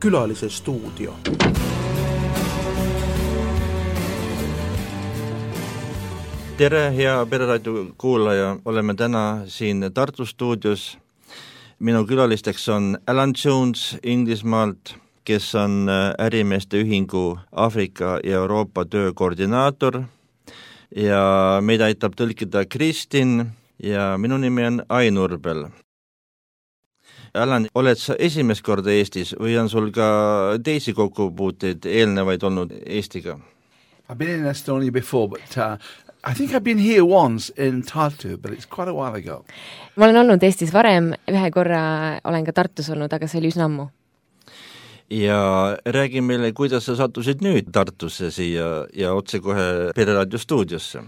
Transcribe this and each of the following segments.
Külalise stuudio. Tere, hea Pereraadio kuulaja, oleme täna siin Tartu stuudios. Minu külalisteks on Alan Jones Inglismaalt, kes on ärimeeste ühingu Aafrika ja Euroopa töökoordinaator ja meid aitab tõlkida Kristin ja minu nimi on Ain Urbel. Alan, oled sa esimest korda Eestis või on sul ka teisi kokkupuuteid eelnevaid olnud Eestiga? I've been in Estonia before, but I think I've been here once in Tartu, but it's quite a while ago. Ma olen olnud Eestis varem, ühe korra olen ka Tartus olnud, aga see oli üsna ammu. Ja räägi meile, kuidas sa sattusid nüüd Tartusse siia ja otse kohe Pereraadio stuudiosse?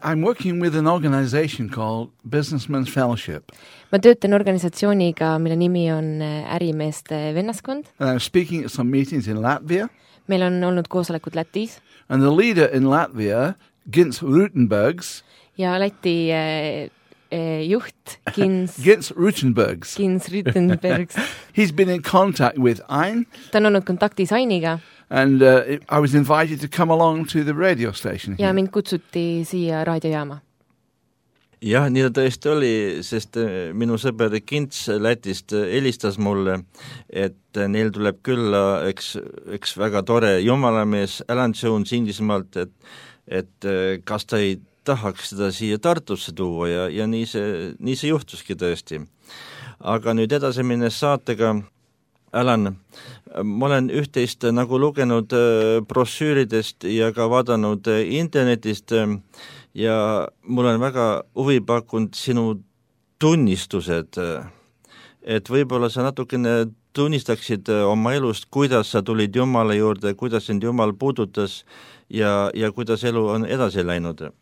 I'm working with an organization called Businessmen's Fellowship. Ma töötan organisatsiooniga, mille nimi on ärimeeste vennaskond. And I'm speaking at some meetings in Latvia. Meil on olnud koosolekud Lätis. And the leader in Latvia, Gins Rutenbergs. Ja Läti juht Gins Rutenbergs. He's been in contact with Ain. Ta on olnud kontaktis Ainiga. And I was invited to come along to the radio station. Ja mind kutsuti siia raadiojaama. Jah, nii ta tõesti oli, sest minu sõber Kints Lätist helistas mulle, et neil tuleb külla üks väga tore jumalamees Alan Jones Inglismaalt, et kas ta ei tahaks seda siia Tartusse tuua ja nii see juhtuski tõesti. Aga nüüd edasi minnes saatega, Alan, ma olen üht-teist nagu lugenud brošüüridest ja ka vaadanud internetist ja mul on väga huvi pakkunud sinu tunnistused, et võib-olla sa natukene tunnistaksid oma elust, kuidas sa tulid Jumala juurde, kuidas sind Jumal puudutas ja kuidas elu on edasi läinud.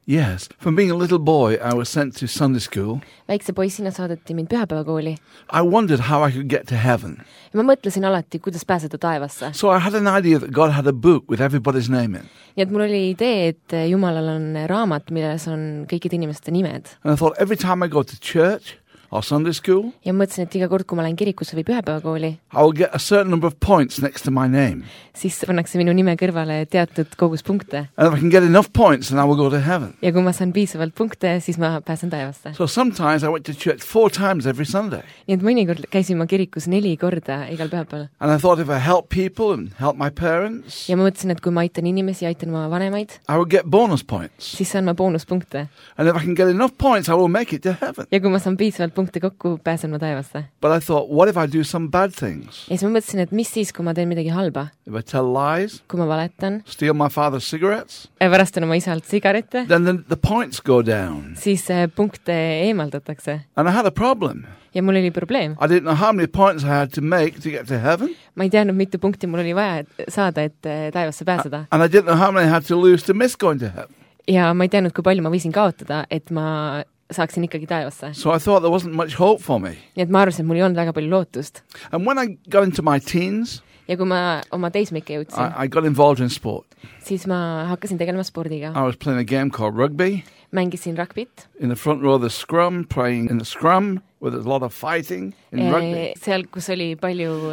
Yes, from being a little boy, I was sent to Sunday school. Väikse poissina saadeti mind pühapäevakooli. I wondered how I could get to heaven. Ja ma mõtlesin alati, kuidas pääseda taevasse. So I had an idea that God had a book with everybody's name in. Nii et mul oli idee, et Jumalal on raamat, milles on kõikide inimeste nimed. And I thought every time I go to church or Sunday school, ja mõtlesin, et iga kord, kui ma lähen kirikusse või pühapäevakooli, I will get a certain number of points next to my name. Siis pannakse minu nime kõrvale teatud kogus punkte. And if I can get enough points, then I will go to heaven. Ja kui ma saan piisavalt punkte, siis ma pääsen taevasse. So sometimes I went to church 4 times every Sunday. Nii et mõnikord käisin ma kirikus 4 korda igal pühapäeval. And I thought if I help people and help my parents, ja ma mõtlesin, et kui ma aitan inimesi, aitan ma vanemaid, I will get bonus points. Siis saan ma boonuspunkte. And if I can get enough points, I will make it to heaven. Ja kui ma saan piisavalt punkte kokku, pääsen ma taevasse. But I thought, what if I do some bad things? Ja siis ma mõtlesin, et mis siis, kui ma teen midagi halba? If I tell lies, kui ma valetan, steal my father's cigarettes, varastan oma isalt sigarette, then the points go down. Siis punkte eemaldatakse. And I had a problem. Ja mul oli probleem. I didn't know how many points I had to make to get to heaven. Ma ei teadnud, mitu punkti mul oli vaja saada, et taevasse pääseda. And I didn't know how many I had to lose to miss going to heaven. Ja ma ei teadnud, kui palju ma võisin kaotada, et ma saaksin ikkagi taevasse. So I thought there wasn't much hope for me. Nii et ma arvasin, et mul ei olnud väga palju lootust. And when I got into my teens, ja kui ma oma teismike jõudsin, I got involved in sport. Siis ma hakkasin tegelema spordiga. I was playing a game called rugby. Mängisin rugbit. In the front row of the scrum, playing in the scrum, where there's a lot of fighting in rugby. Seal, kus oli palju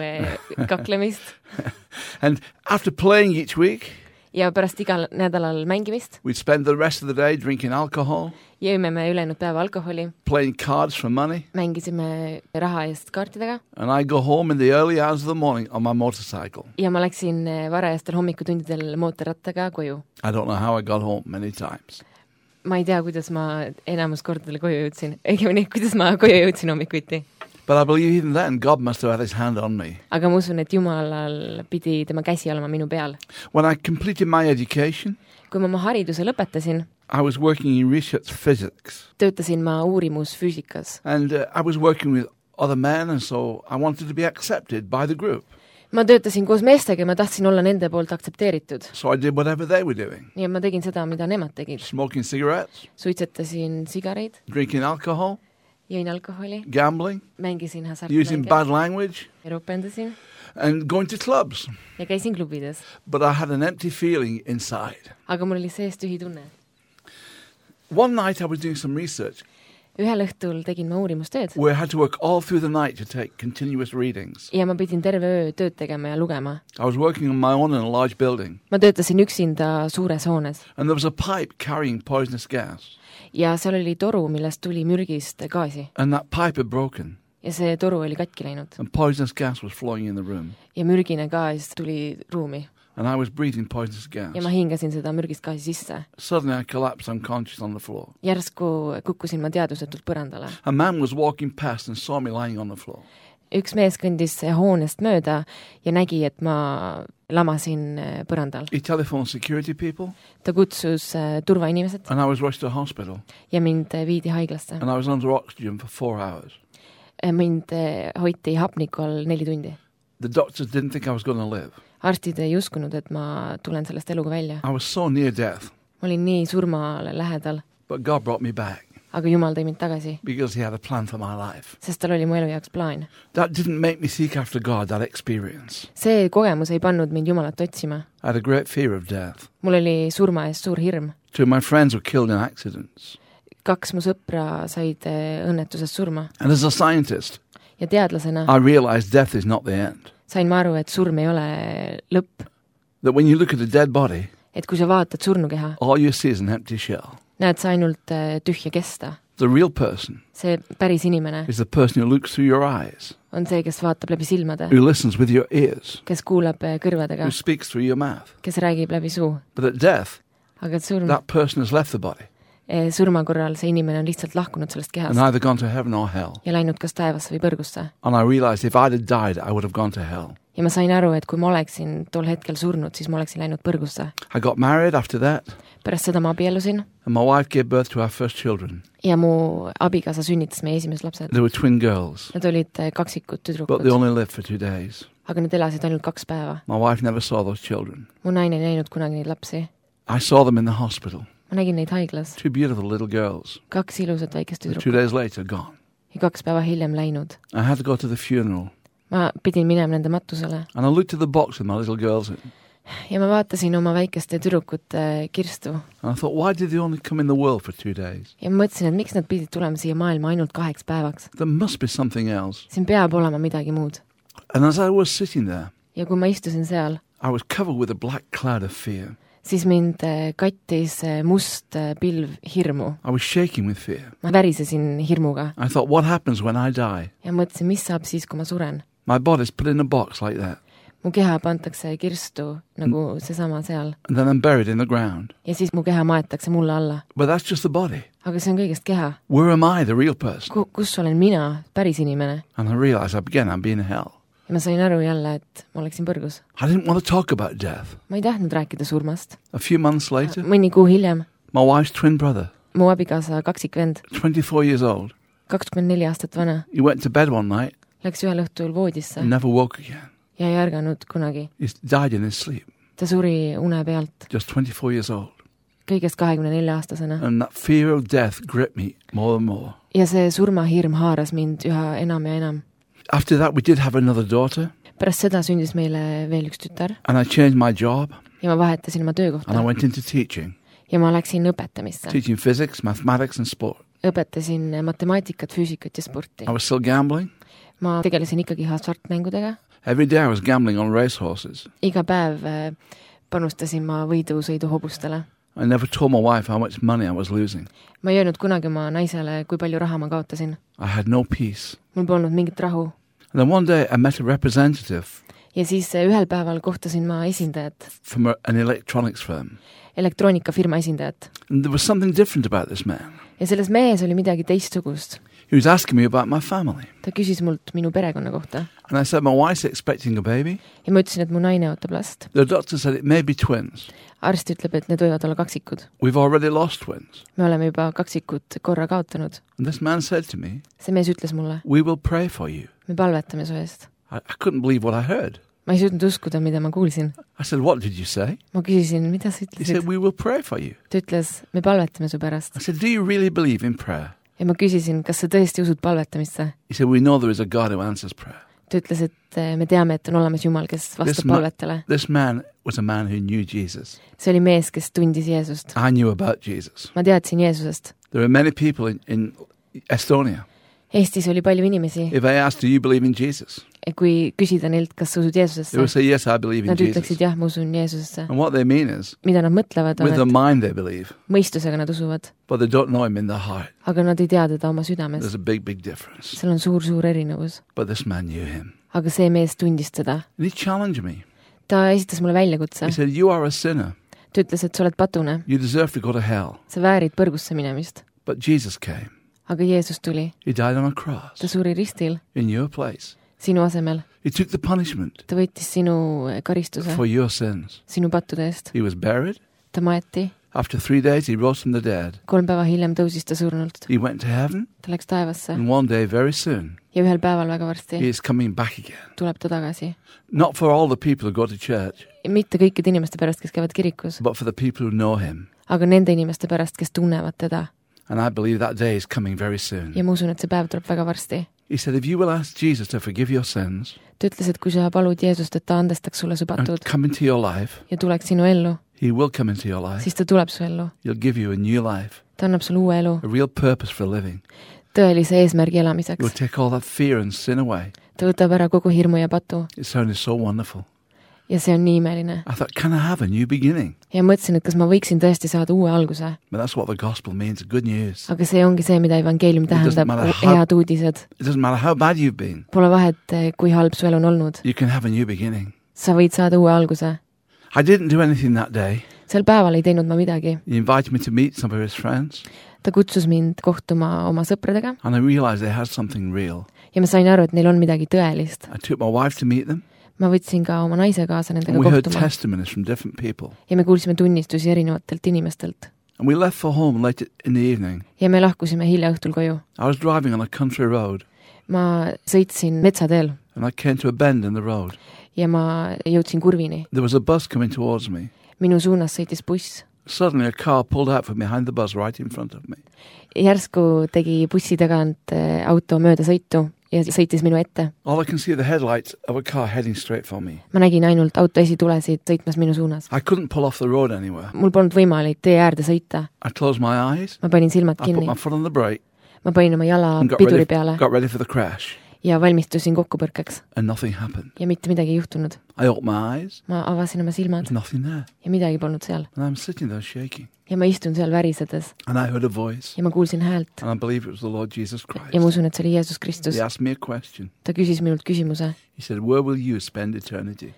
kaklemist. And after playing each week, ja pärast igal nädalal mängimist, we'd spend the rest of the day drinking alcohol. Jõime me ülejäänud päeva alkoholi. Playing cards for money. Mängisime raha eest kaartidega. And I go home in the early hours of the morning on my motorcycle. Ja ma läksin varajastel hommikutundidel mootorrattaga koju. I don't know how I got home many times. Ma ei tea, kuidas ma enamus kordadele koju jõudsin. Õigemini, kuidas ma koju jõudsin hommikuti. But I believe even then God must have had his hand on me. Aga ma usun, et Jumalal pidi tema käsi olema minu peal. When I completed my education, kui ma oma hariduse lõpetasin, I was working in research physics. Töötasin ma uurimusfüüsikas. And I was working with other men, and so I wanted to be accepted by the group. Ma töötasin koos meestega ja ma tahtsin olla nende poolt aktsepteeritud. So I did whatever they were doing. Ja ma tegin seda, mida nemad tegid. Smoking cigarettes. Suitsetasin sigareid. Drinking alcohol. Jõin alkoholi. Gambling. Mängisin hasartmänge. Using bad language. Roupendasin. And going to clubs. Ja käisin klubides. But I had an empty feeling inside. Aga mul oli sees tühi tunne. One night I was doing some research. ühel õhtul tegin ma uurimustööd where I had to work all through the night to take continuous readings. ja ma pidin terve öö tööd tegema ja lugema. I was working on my own in a large building. Ma töötasin üksinda suures hoones And there was a pipe carrying poisonous gas. ja seal oli toru, millest tuli mürgist gaasi And that pipe had broken. ja see toru oli katki läinud And poisonous gas was flowing in the room. ja mürgine gaas tuli ruumi And I was breathing poisonous gas. ja ma hingasin seda mürgist gaasi sisse. Suddenly I collapsed unconscious on the floor. Järsku kukkusin ma teadvusetult põrandale. A man was walking past and saw me lying on the floor. Üks mees kõndis hoonest mööda ja nägi, et ma lamasin põrandal. He telephoned security people. Ta kutsus turvainimesed And I was rushed to a hospital. ja mind viidi haiglasse. And I was under oxygen for 4 hours. Mind hoiti hapniku all 4 tundi. The doctors didn't think I was going to live. Arstid ei uskunud, et ma tulen sellest eluga välja. I was so near death. Ma olin nii surmale lähedal, But God brought me back aga Jumal tõi mind tagasi, because he had a plan for my life. sest tal oli mu elu jaoks plaan. That didn't make me seek after God, that experience. See kogemus ei pannud mind Jumalat otsima. I had a great fear of death. Mul oli surma eest suur hirm. 2 of my friends were killed in accidents. 2 mu sõpra said õnnetusest surma And as a scientist, ja teadlasena I realized death is not the end. sain ma aru, et surm ei ole lõpp. That when you look at a dead body, Et kui sa vaatad surnukeha, all you see is an empty shell. näed sa ainult tühja kesta. The real person See päris inimene is the person who looks through your eyes, on see, kes vaatab läbi silmade, who listens with your ears, kes kuulab kõrvadega, who speaks through your mouth. kes räägib läbi suu. But at death, Aga et surm, that person has left the body surma korral see inimene on lihtsalt lahkunud sellest and kehast either gone to heaven or hell. ja läinud kas taevasse või põrgusse. And I realized if I'd have died, I would have gone to hell. Ja ma sain aru, et kui ma oleksin tol hetkel surnud, siis ma oleksin läinud põrgusse. I got married after that, Pärast seda ma abiellusin and my wife gave birth to our first children. ja mu abikaasa sünnitas meie esimesed lapsed. They were twin girls, Nad olid kaksikud but they tüdrukud, only lived for 2 days. aga nad elasid ainult 2 päeva. My wife never saw those children. Mu naine ei näinud kunagi neid lapsi. I saw them in the hospital. Ma nägin neid haiglas. 2 beautiful little girls. 2 ilusat väikest 2 tüdrukut days later, gone. ja 2 päeva hiljem läinud. I had to go to the funeral. Ma pidin minema nende matusele And I looked at the box with my little girls in. ja ma vaatasin oma väikeste tüdrukute kirstu And I thought, why did they only come in the world for 2 days? ja ma mõtlesin, et miks nad pidid tulema siia maailma ainult 2 päevaks. There must be something else. Siin peab olema midagi muud. And as I was sitting there, Ja kui ma istusin seal, I was covered with a black cloud of fear. siis mind kattis must pilv hirmu. I was shaking with fear. Ma värisesin hirmuga I thought, what happens when I die? ja mõtlesin, mis saab siis, kui ma suren. My body's put in a box like that. Mu keha pantakse kirstu nagu seesama seal And then I'm buried in the ground. ja siis mu keha maetakse mulle alla. But that's just the body. Aga see on kõigest keha. Where am I, the real person? Kus olen mina, päris inimene? And I realized again I'm being hell. Ja ma sain aru jälle, et ma oleksin põrgus. I didn't want to talk about death. Ma ei tahtnud rääkida surmast. A few months later, Mõni kuu hiljem, my wife's twin brother, mu abikaasa kaksikvend, 24 years old, 24 aastat vana, he went to bed one night läks ühel õhtul voodisse and never woke again. ja ei ärganud kunagi. He died in his sleep, Ta suri une pealt, just 24 years old. kõigest 24-aastasena. And that fear of death gripped me more and more. Ja see surmahirm haaras mind üha enam ja enam. After that, we did have another daughter, Pärast seda sündis meile veel üks tütar and I changed my job, ja ma vahetasin oma and I töökohta went into teaching, ja ma läksin õpetamisse. teaching physics, mathematics and sport. Õpetasin matemaatikat, füüsikat ja sporti. I was still gambling. Ma tegelesin ikkagi hasartmängudega. Every day I was gambling on racehorses. Iga päev panustasin ma võidusõidu hobustele. I never told my wife how much money I was losing. Ma ei öelnud kunagi oma naisele, kui palju raha ma kaotasin. I had no peace. Mul polnud mingit rahu. And then one day I met a representative Ja siis ühel päeval kohtasin ma esindajat, from an electronics firm. elektroonikafirma esindajat. And there was something different about this man. Ja selles mehes oli midagi teistsugust. He was asking me about my family. Ta küsis mult minu perekonna kohta. And I said, my wife's expecting a baby. Ja ma ütlesin, et mu naine ootab last. The doctor said it may be twins. Arst ütleb, et need võivad olla kaksikud. We've already lost twins. Me oleme juba kaksikud korra kaotanud. And this man said to me, See mees ütles mulle, we will pray for you. me palvetame su eest. I couldn't believe what I heard. Ma ei suutnud uskuda, mida ma kuulsin. I said, what did you say? Ma küsisin, mida sa He ütlesid? said, we will pray for you. Ta ütles, me palvetame su pärast. I said, do you really believe in prayer? Ja ma küsisin, kas sa tõesti usud palvetamisse? He said, we know there is a God who answers prayer. Ta ütles, et me teame, et on olemas Jumal, kes vastab palvetele. This man was a man who knew Jesus. See oli mees, kes tundis Jeesust. I knew about Jesus. Ma teadsin Jeesusest. There are many people in Estonia. Eestis oli palju inimesi, If I asked, do you believe in Jesus? kui küsida neilt, kas sa usud They Jeesusesse, would say, yes, I believe in nad Jesus. ütleksid jah, ma usun Jeesusesse. And what they mean is, Mida nad mõtlevad, with on, their et mind they believe, mõistusega nad usuvad, but they don't know him in their heart. aga nad ei tea teda oma südames. There's a big difference. Seal on suur erinevus. But this man knew him. Aga see mees tundis seda. And he challenged me. Ta esitas mulle väljakutse. He said, you are a sinner. Ta ütles, et sa oled patune. You deserve to go to hell. Sa väärid põrgusse minemist. But Jesus came. Aga Jeesus tuli. He died on a Ta cross suri ristil in your place. sinu asemel. He took the punishment Ta võttis sinu karistuse for your sins. sinu pattude eest. He was buried. Ta maeti. After 3 days, he rose from the dead. 3 päeva hiljem tõusis ta surnult. He went to heaven. Ta läks taevasse. And one day, very soon, Ja ühel päeval väga he varsti is coming back again. tuleb ta tagasi. Not for all the people who go to church, Mitte kõikide inimeste pärast, kes käivad kirikus, but for the people who know him. aga nende inimeste pärast, kes tunnevad teda. And I believe that day is coming very soon. Ja ma usun, et see päev tuleb väga varsti. He said, if you will ask Jesus to forgive your sins Ta ütles, et kui sa palud Jeesust, et ta andestaks sulle su and patud come into your life, ja tuleks sinu ellu, he will come into your life. siis ta tuleb su ellu. He'll give you a new life, Ta annab sulle uue elu, a real purpose for living. tõelise eesmärgi He will elamiseks. take all that fear and sin away. Ta võtab ära kogu hirmu ja patu It sounded so wonderful. ja see on nii imeline. I thought, can I have a new beginning? Ja mõtlesin, et kas ma võiksin tõesti saada uue alguse. But that's what the gospel means, good news. Aga see ongi see, mida evangeelium doesn't tähendab, matter how- head uudised. It doesn't matter how bad you've been. Pole vahet, kui halb su elu on olnud. You can have a new beginning. Sa võid saada uue alguse. I didn't do anything that day. Sel päeval ei teinud ma midagi. He invited me to meet some of his friends, Ta kutsus mind kohtuma oma sõpradega and I realized they had something real. ja ma sain aru, et neil on midagi tõelist. I took my wife to meet them, Ma võtsin ka oma naise kaasa nendega and we heard kohtuma testimonies from different people. ja me kuulsime tunnistusi erinevatelt inimestelt. And we left for home late in the evening. Ja me lahkusime hilja õhtul koju. I was driving on a country road, Ma sõitsin metsateel and I came to a bend in the road. ja ma jõudsin kurvini. There was a bus coming towards me. Minu suunas sõitis buss. Suddenly a car pulled out from behind the bus right in front of me. Järsku tegi bussi tagant auto mööda sõitu ja sõitis minu ette. All I can see are the headlights of a car heading straight for me. Ma nägin ainult auto esitulesid sõitmas minu suunas. I couldn't pull off the road anywhere. Mul polnud võimalik tee äärde sõita. I closed my eyes, Ma panin silmad I put kinni. my foot on the brake, Ma panin oma jala and piduri peale got ready for the crash, ja valmistusin kokkupõrkeks and nothing happened. ja mitte midagi ei juhtunud. I opened my eyes, Ma avasin oma silmad there's nothing there. ja midagi polnud seal. And I'm sitting there shaking. Ja ma istun seal värisedes And I heard a voice, ja ma kuulsin häält and I believe it was the Lord Jesus Christ. ja ma usun, et see oli Jeesus Kristus. He asked me a question. Ta küsis minult küsimuse. He said, where will you spend eternity?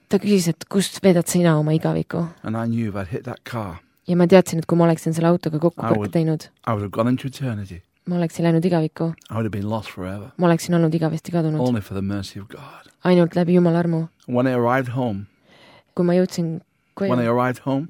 Ta küsis, et kust veedad sina oma igaviku? And I knew if I'd hit that car, Ja ma teadsin, et kui ma oleksin selle autoga kokkupõrke teinud, I would have gone into eternity. ma oleksin läinud igavikku, I would have been lost forever, ma oleksin olnud igavesti kadunud. only for the mercy of God. Ainult läbi Jumala armu. When I arrived home, Kui ma jõudsin when I koju, arrived home,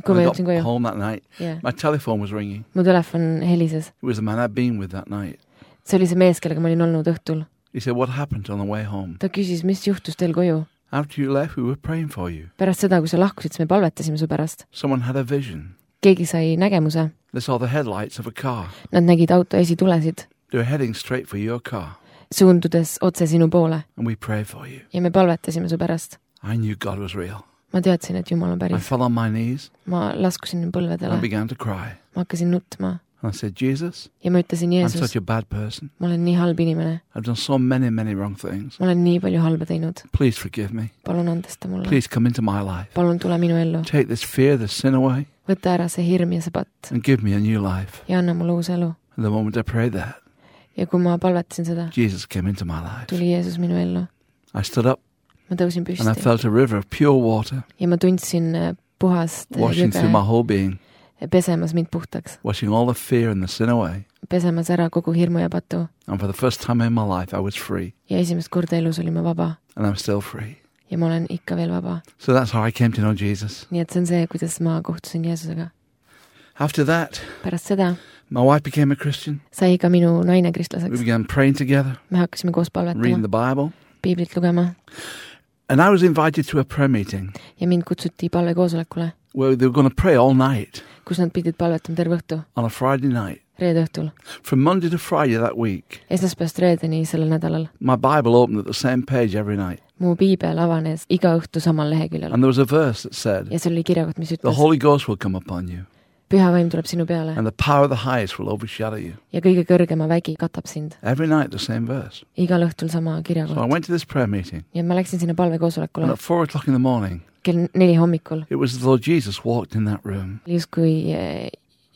kui ma when I jõudsin got koju, home that night, yeah. my telephone was ringing. Mu telefon helises. It was the man I'd been with that night. See oli see mees, kellega ma olin olnud õhtul. He said, what happened on the way home? Ta küsis, mis juhtus teil koju? After you left, we were praying for you. Pärast seda, kui sa lahkusid, siis me palvetasime su pärast. Someone had a vision. Keegi sai nägemuse. They saw the headlights of a car. Nad nägid auto esitulesid, They were heading straight for your car. suundudes otse sinu poole And we prayed for you. ja me palvetasime su pärast. I knew God was real. Ma teadsin, et Jumal on I päris. fell on my knees Ma laskusin and I põlvedele. began to cry. Ma hakkasin nutma And I said, Jesus, ja ma ütlesin, I'm Jeesus, such a bad person. ma olen nii halb inimene. I've done so many wrong things. Ma olen nii palju halba teinud. Please forgive me. Palun andesta mulle. Please come into my life. Palun tule minu ellu. Take this fear, this sin away, Võta ära see hirm ja see patt and give me a new life. ja anna mulle uus elu. And the moment I prayed that, Ja kui ma palvetasin seda, Jesus came into my life. tuli Jeesus minu ellu. I stood up Ma tõusin and I püsti felt a river of pure water ja ma tundsin puhast washing through my jõge whole being, pesemas mind puhtaks. washing all the fear and the sin away. Pesemas ära kogu hirmu ja patu. And for the first time in my life, I was free. Ja esimest korda elus olin ma vaba. And I'm still free. Ja ma olen ikka veel vaba. So that's how I came to know Jesus. Nii et see on see, kuidas ma kohtusin Jeesusega. After that, Pärast seda my wife became a Christian. sai ka minu naine We kristlaseks. began praying together, Me hakkasime koos reading the palvetama, Bible. piiblit lugema And I was invited to a prayer meeting ja mind kutsuti palvekoosolekule, where they were going to pray all night kus nad pidid palvetama terve õhtu, on a Friday night. reede õhtul. From Monday to Friday that week, Esmaspäevast reedeni sellel nädalal. my Bible opened at the same page every night. Mu piibel avanes iga õhtu samal leheküljel And there was a verse that said, ja seal oli kirjakoht, mis the ütles, Holy Ghost will come upon you. püha vaim tuleb sinu peale and the power of the highest will overshadow you. ja kõige kõrgema vägi katab sind. Every night the same verse. Igal õhtul sama So I kirjakoht. went to this prayer meeting, ja ma läksin sinna and palvekoosolekule at 4 o'clock in the morning, kell 4 hommikul. it was as though Jesus walked in that room. Justkui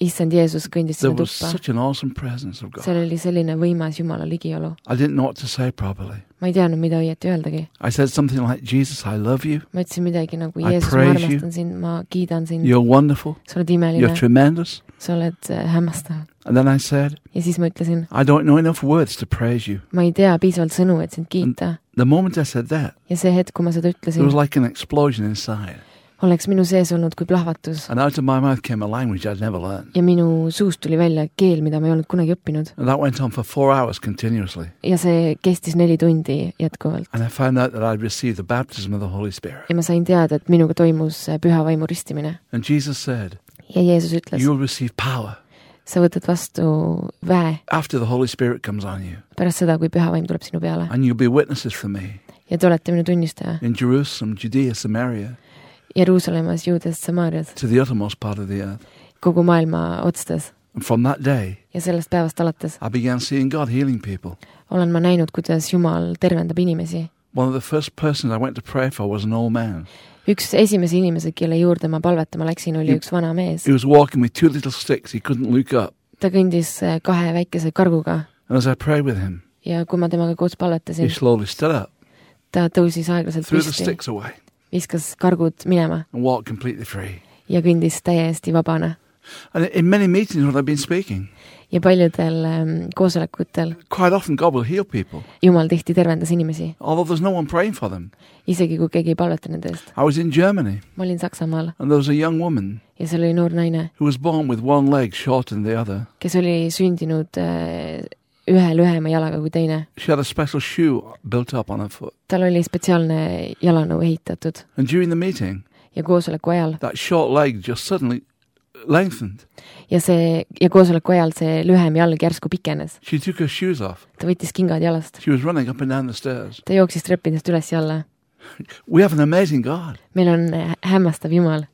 issand Jeesus kõndis There sinna was tuppa. such an awesome presence of God. seal oli selline võimas Jumala ligiolu. I didn't know what to say properly. ma ei teadnud, mida õieti öeldagi. I said something like, Jesus, I love you. ma ütlesin midagi nagu I Jeesus, ma praise you. armastan sind, ma kiidan sind, You're wonderful. sa oled You're imeline, tremendous. sa oled hämmastav. And then I said, ja siis ma ütlesin, I don't know enough words to praise you. ma ei tea piisavalt sõnu, et sind kiita. The moment I said that, ja see hetk, kui ma seda there ütlesin, was like an explosion inside. oleks minu sees olnud kui plahvatus. And out of my mouth came a language I'd never learned. ja minu suust tuli välja keel, mida ma ei olnud kunagi õppinud. And that went on for 4 hours continuously. ja see kestis 4 tundi jätkuvalt. And I found out that I'd received the baptism of the Holy Spirit. ja ma sain teada, et minuga toimus püha vaimu ristimine. And Jesus said, ja Jeesus ütles, you'll receive power sa võtad vastu väe after the Holy Spirit comes on you. pärast seda, kui püha vaim tuleb sinu peale. And you'll be witnesses for me ja te olete minu tunnistaja in Jerusalem, Judea, Samaria, Jeruusalemmas, Juudas, Samaarias, to the uttermost part of the earth. kogu maailma otstes. And from that day, ja sellest päevast alates I began seeing God healing people. olen ma näinud, kuidas Jumal tervendab inimesi. One of the first persons I went to pray for was an old man. üks esimese inimese, kelle juurde ma palvetama läksin, oli üks vana mees. He was walking with 2 little sticks. He couldn't look up. ta kõndis 2 väikese karguga And as I prayed with him, ja kui ma temaga koos he palvetasin, slowly stood up, ta tõusis aeglaselt threw the püsti, sticks away, viskas kargud minema and walked completely free. ja kõndis täiesti vabana. And in many meetings when I've been speaking, ja paljudel koosolekutel quite often God will heal people, Jumal tihti tervendas inimesi, although there's no one praying for them. isegi kui keegi ei palveta nende eest. I was in Germany, ma olin Saksamaal and there was a young woman ja seal oli noor naine, who was born with one leg shorter than the other. kes oli sündinud ühe lühema jalaga kui teine. She had a special shoe built up on her foot. tal oli spetsiaalne jalanõu ehitatud And during the meeting, ja koosoleku ajal that short leg just suddenly lengthened. ja koosoleku ajal see lühem jalg järsku pikenes. She took her shoes off. ta võttis kingad jalast. She was running up and down the stairs. ta jooksis treppidest üles ja alla. We have an amazing God. meil on hämmastav Jumal.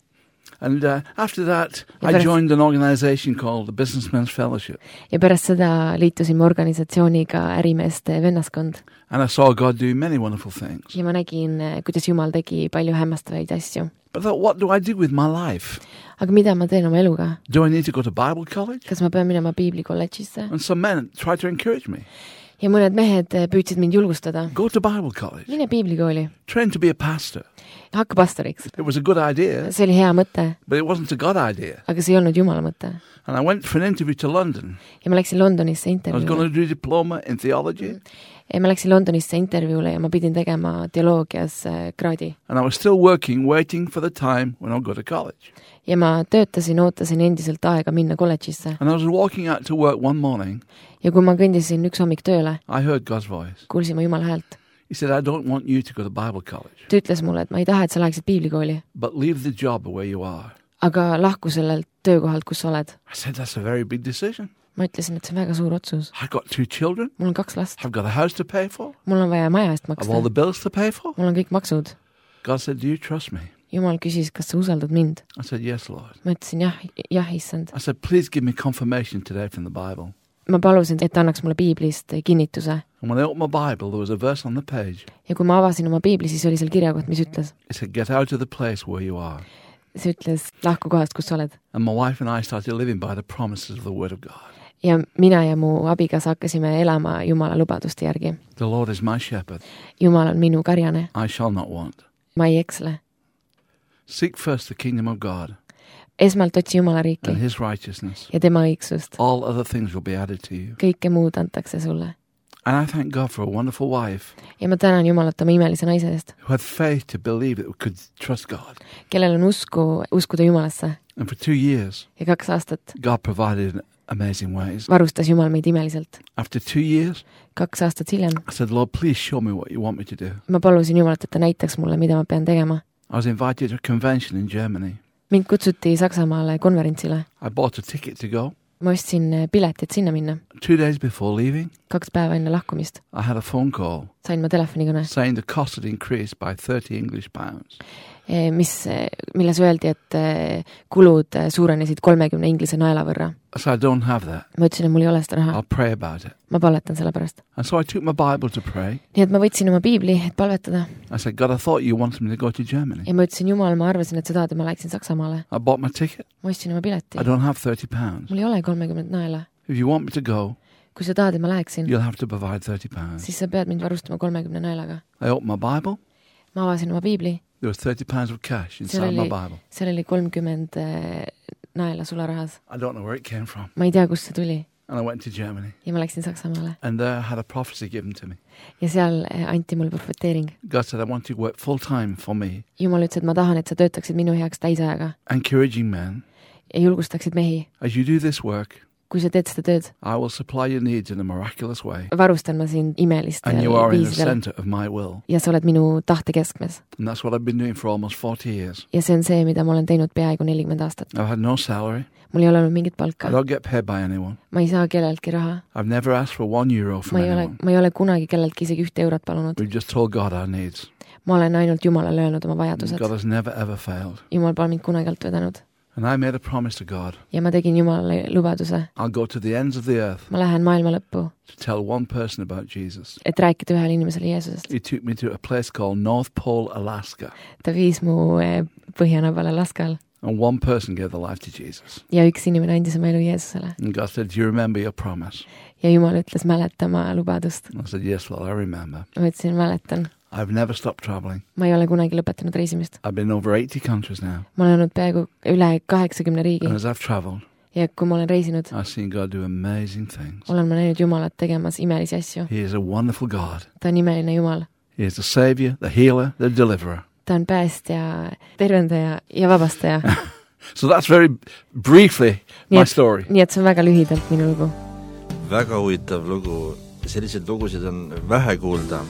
And after that, Ja I pärast- joined an organization called the Businessmen's Fellowship. ja pärast seda liitusime organisatsiooniga Ärimeeste vennaskond And I saw God do many wonderful things. ja ma nägin, kuidas Jumal tegi palju hämmastavaid asju. But I thought, what do I do with my life? aga mida ma teen oma eluga? Do I need to go to Bible college? kas ma pean minema piiblikolledžisse? And some men tried to encourage me. ja mõned mehed püüdsid mind julgustada. Go to Bible college. mine piiblikooli, Train to be a pastor. hakka pastoriks. It was a good idea, see oli hea mõte, but it wasn't a God idea. aga see ei olnud Jumala mõte. And I went for an interview to London. ja ma läksin Londonisse I was going intervjuule. to do a diploma in theology. ja ma läksin Londonisse intervjuule ja ma pidin tegema teoloogias kraadi. And I was still working, waiting for the time when I'll go to college. ja ma töötasin, ootasin endiselt aega minna kolledžisse. And I was walking out to work one morning. ja kui ma kõndisin üks hommik tööle, I heard God's voice. kuulsin ma Jumala häält. He said, I don't want you to go to Bible college, ta ütles mulle, et ma ei taha, et sa läheksid piiblikooli, but leave the job where you are. aga lahku sellelt töökohalt, kus sa oled. I said, that's a very big decision. ma ütlesin, et see on väga suur otsus. I've got 2 children. mul on 2 last, I've got a house to pay for. mul on vaja maja eest I've maksta, all the bills to pay for. mul on kõik maksud. God said, do you trust me? Jumal küsis, kas sa usaldad mind? I said, yes, Lord. ma ütlesin jah, issand. I said, please give me confirmation today from the Bible. ma palusin, et ta annaks mulle piiblist kinnituse. And when I opened my Bible, there was a verse on the page. ja kui ma avasin oma piibli, siis oli seal kirjakoht, mis ütles, It said, get out of the place where you are. see ütles, lahku kohast, kus sa oled. And my wife and I started living by the promises of the Word of God. ja mina ja mu abikaasa hakkasime elama Jumala lubaduste järgi. The Lord is my shepherd. Jumal on minu karjane, I shall not want. ma ei eksle. Seek first the kingdom of God esmalt otsi Jumala riiki and His righteousness. ja tema õigsust. All other things will be added to you. kõike muud antakse sulle. And I thank God for a wonderful wife ja ma tänan Jumalat oma imelise naise eest, who had faith to believe that we could trust God. kellel on uskuda Jumalasse. And for 2 years, ja 2 aastat God provided in amazing ways. varustas Jumal meid imeliselt. After 2 years, 2 aastat hiljem I said, Lord, please show me what you want me to do. ma palusin Jumalat, et ta näitaks mulle, mida ma pean tegema. I was invited to a convention in Germany. mind kutsuti Saksamaale konverentsile. I bought a ticket to go. ma ostsin piletit sinna minna. 2 days before leaving, 2 päeva enne lahkumist I had a phone call sain ma telefonikõne saying the cost had increased by 30 English pounds. milles öeldi, et kulud suurenesid 30 inglise naela võrra. So I don't have that. Ma ütlesin, et mul ei ole seda raha. I'll pray about it. Ma palvetan selle pärast. And so I took my Bible to pray. Nii et ma võtsin oma piibli, et palvetada. I said, God, I thought you wanted me to go to Germany. Ja ma ütlesin, Jumal, ma arvasin, et sa tahad, et ma läheksin Saksamaale. I bought my ticket. Ma ostsin oma pileti. I don't have £30. Mul ei ole 30 naela. If you want me to go, kui sa tahad, et ma läheksin, you'll have to provide £30. siis sa pead mind varustama 30 naelaga. I opened my Bible. Ma avasin oma piibli. There was £30 of cash inside my Bible. Seal oli 30 naela sularahas. I don't know where it came from. Ma ei tea, kust see tuli. And I went to Germany. Ja ma läksin Saksamaale. And there I had a prophecy given to me. Ja seal anti mul profeteering. God said, I want you to work full time for me. Jumal ütles, et ma tahan, et sa töötaksid minu heaks täisajaga. Encouraging men. Ja julgustaksid mehi. As you do this work, kui sa teed seda tööd, I will supply your needs in a miraculous way. Varustan ma sind imelistel And you are in the viisidel. center of my will. Ja sa oled minu tahte keskmes. And that's what I've been doing for almost 40 years. Ja see on see, mida ma olen teinud peaaegu 40 aastat. I've had no salary. Mul ei ole olnud mingit palka. I don't get paid by anyone. Ma ei saa kelleltki raha. I've never asked for €1 from anyone. Ma ei ole kunagi kelleltki isegi 1 eurot palunud. We've just told God our needs. Ma olen ainult Jumalale öelnud oma vajadused. God has never ever failed. Jumal pole mind kunagi alt vedanud. And I made a promise to God. Ja ma tegin Jumalale lubaduse. I'll go to the ends of the earth. Ma lähen maailma lõppu. To tell one person about Jesus. Et rääkida ühele inimesele Jeesusest. He took me to a place called North Pole, Alaska. Ta viis mu põhjanabal Alaskal. And one person gave their life to Jesus. Ja üks inimene andis oma elu Jeesusele. And God said, do you remember your promise? Ja Jumal ütles, mäleta oma lubadust. I said, yes, Lord, I remember. Ma ütlesin, mäletan. I've never stopped traveling. Ma ei ole kunagi lõpetanud reisimist. I've been over 80 countries now. Ma olen olnud peaaegu üle 80 riigi. And as I've traveled, ja kui ma olen reisinud, I've seen God do amazing things. Olen ma näinud Jumalat tegemas imelisi asju. He is a wonderful God. Ta on imeline Jumal. He is the savior, the healer, the deliverer. Ta on päästja, tervendaja ja vabastaja. So that's very briefly my story. Nii et see on väga lühidalt minu lugu. Väga huvitav lugu. Selliseid lugusid on vähe kuulda.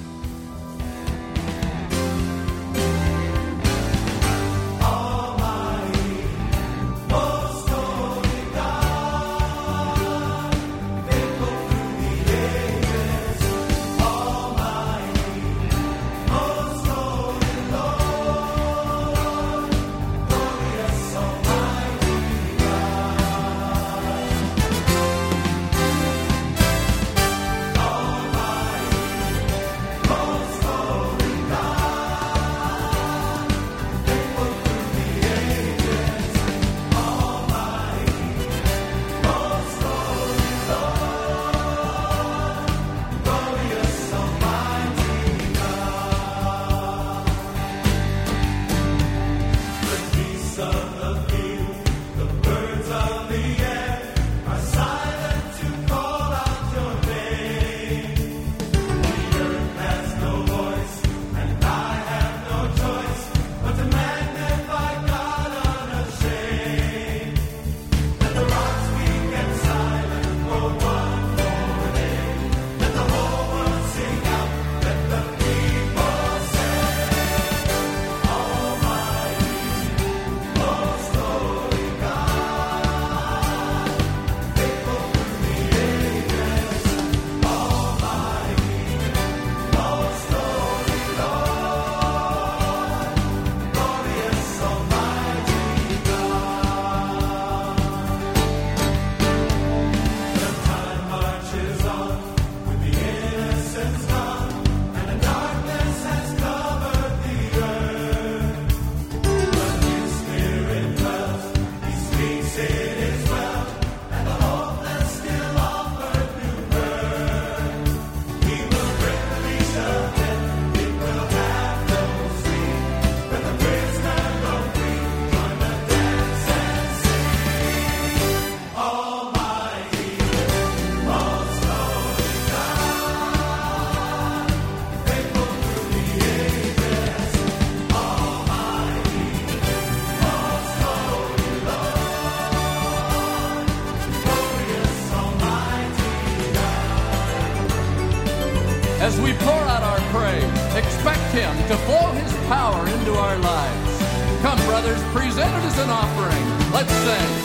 As we pour out our praise, expect Him to flow His power into our lives. Come, brothers, present it as an offering. Let's sing.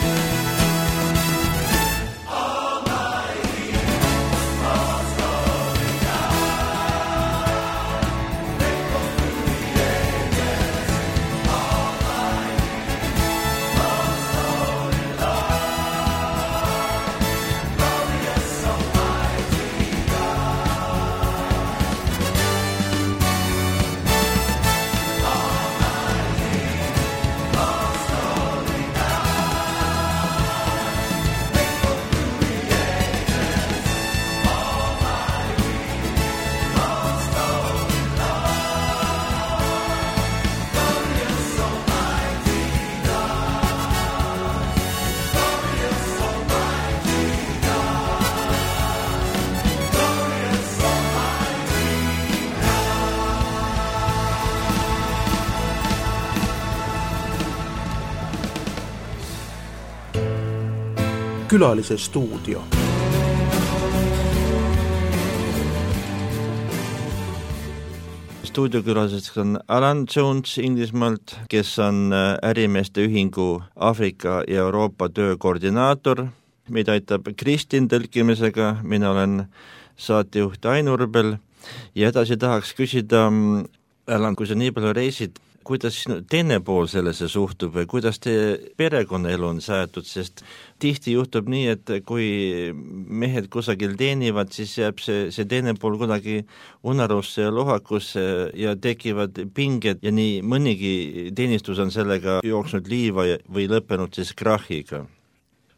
Külalise stuudio. Stuudiokülaliseks on Alan Jones Inglismaalt, kes on ärimeeste ühingu Aafrika ja Euroopa töökoordinaator. Meid aitab Kristin tõlkimisega, mina olen saatejuht Ain Urbel ja edasi tahaks küsida, Alan, kui sa nii palju reisid, kuidas sinu teine pool sellesse suhtub või kuidas teie perekonnaelu on säätud, sest tihti juhtub nii, et kui mehed kusagil teenivad, siis jääb see teine pool kuidagi unarusse ja lohakusse ja tekivad pinged ja nii mõnigi teenistus on sellega jooksnud liiva või lõppenud siis krahhiga.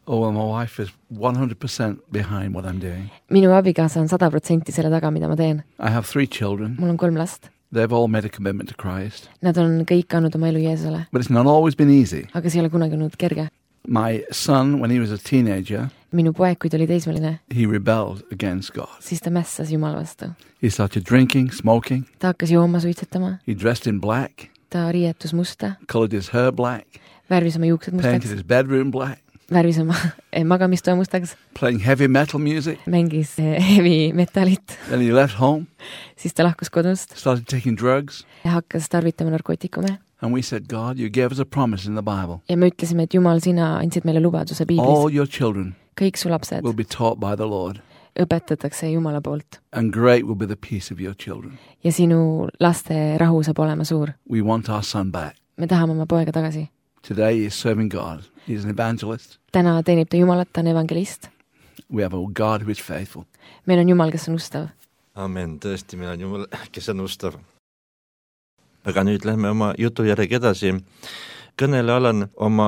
Oh, well, my wife is 100% behind what I'm doing. Minu abikaasa on 100% selle taga, mida ma teen. I have 3 children. Mul on 3 last. They've all made a commitment to Christ. Nad on kõik andnud oma elu Jeesusele. But it's not always been easy. Aga see ei ole kunagi olnud kerge. My son, when he was a teenager, Minu poeg, kui ta oli teismeline, he rebelled against God. siis ta mässas Jumala vastu. He started drinking, smoking. Ta hakkas jooma, suitsetama. He dressed in black, Ta riietus musta, colored his hair black, värvis oma juuksed painted mustaks, his bedroom black, värvis oma magamistoa mustaks, playing heavy metal music. mängis heavy metalit. Then he left home, Siis ta lahkus kodust started taking drugs. ja hakkas tarvitama narkootikume. And we said, God, you gave us a promise in the Bible. Ja me ütlesime, et Jumal, sina andsid meile lubaduse All piiblis. your children Kõik su lapsed will be taught by the Lord. õpetatakse Jumala poolt. And great will be the peace of your children. Ja sinu laste rahu saab olema suur. We want our son back. Me tahame oma poega tagasi. Today he is serving God. He is an evangelist. Täna teenib ta Jumalat, ta on evangelist. We have a God who is faithful. Meil on Jumal, kes on ustav. Amen, tõesti, meil on Jumal, kes on ustav. Aga nüüd lähme oma jutu järgi edasi. Kõnele Alan oma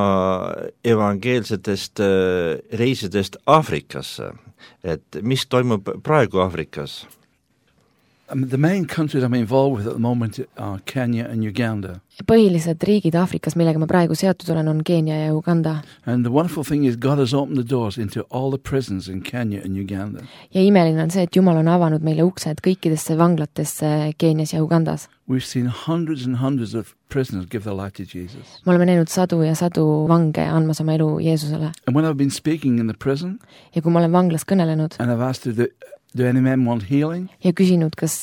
evangeelsetest reisidest Aafrikasse, et mis toimub praegu Aafrikas? The main countries I'm involved with at the moment are Kenya and Uganda. Põhilised riigid Aafrikas, millega ma praegu seotud olen, on Keenia ja Uganda. And the wonderful thing is God has opened the doors into all the prisons in Kenya and Uganda. Ja imeline on see, et Jumal on avanud meile uksed kõikidesse vanglatesse Keenias ja Ugandas. We've seen hundreds and hundreds of prisoners give their life to Jesus. Me oleme näinud sadu ja sadu vange andmas oma elu Jeesusele. And when I've been speaking in the prison Ja kui ma olen vanglas kõnelenud and I've asked, do any men want healing? ja küsinud, kas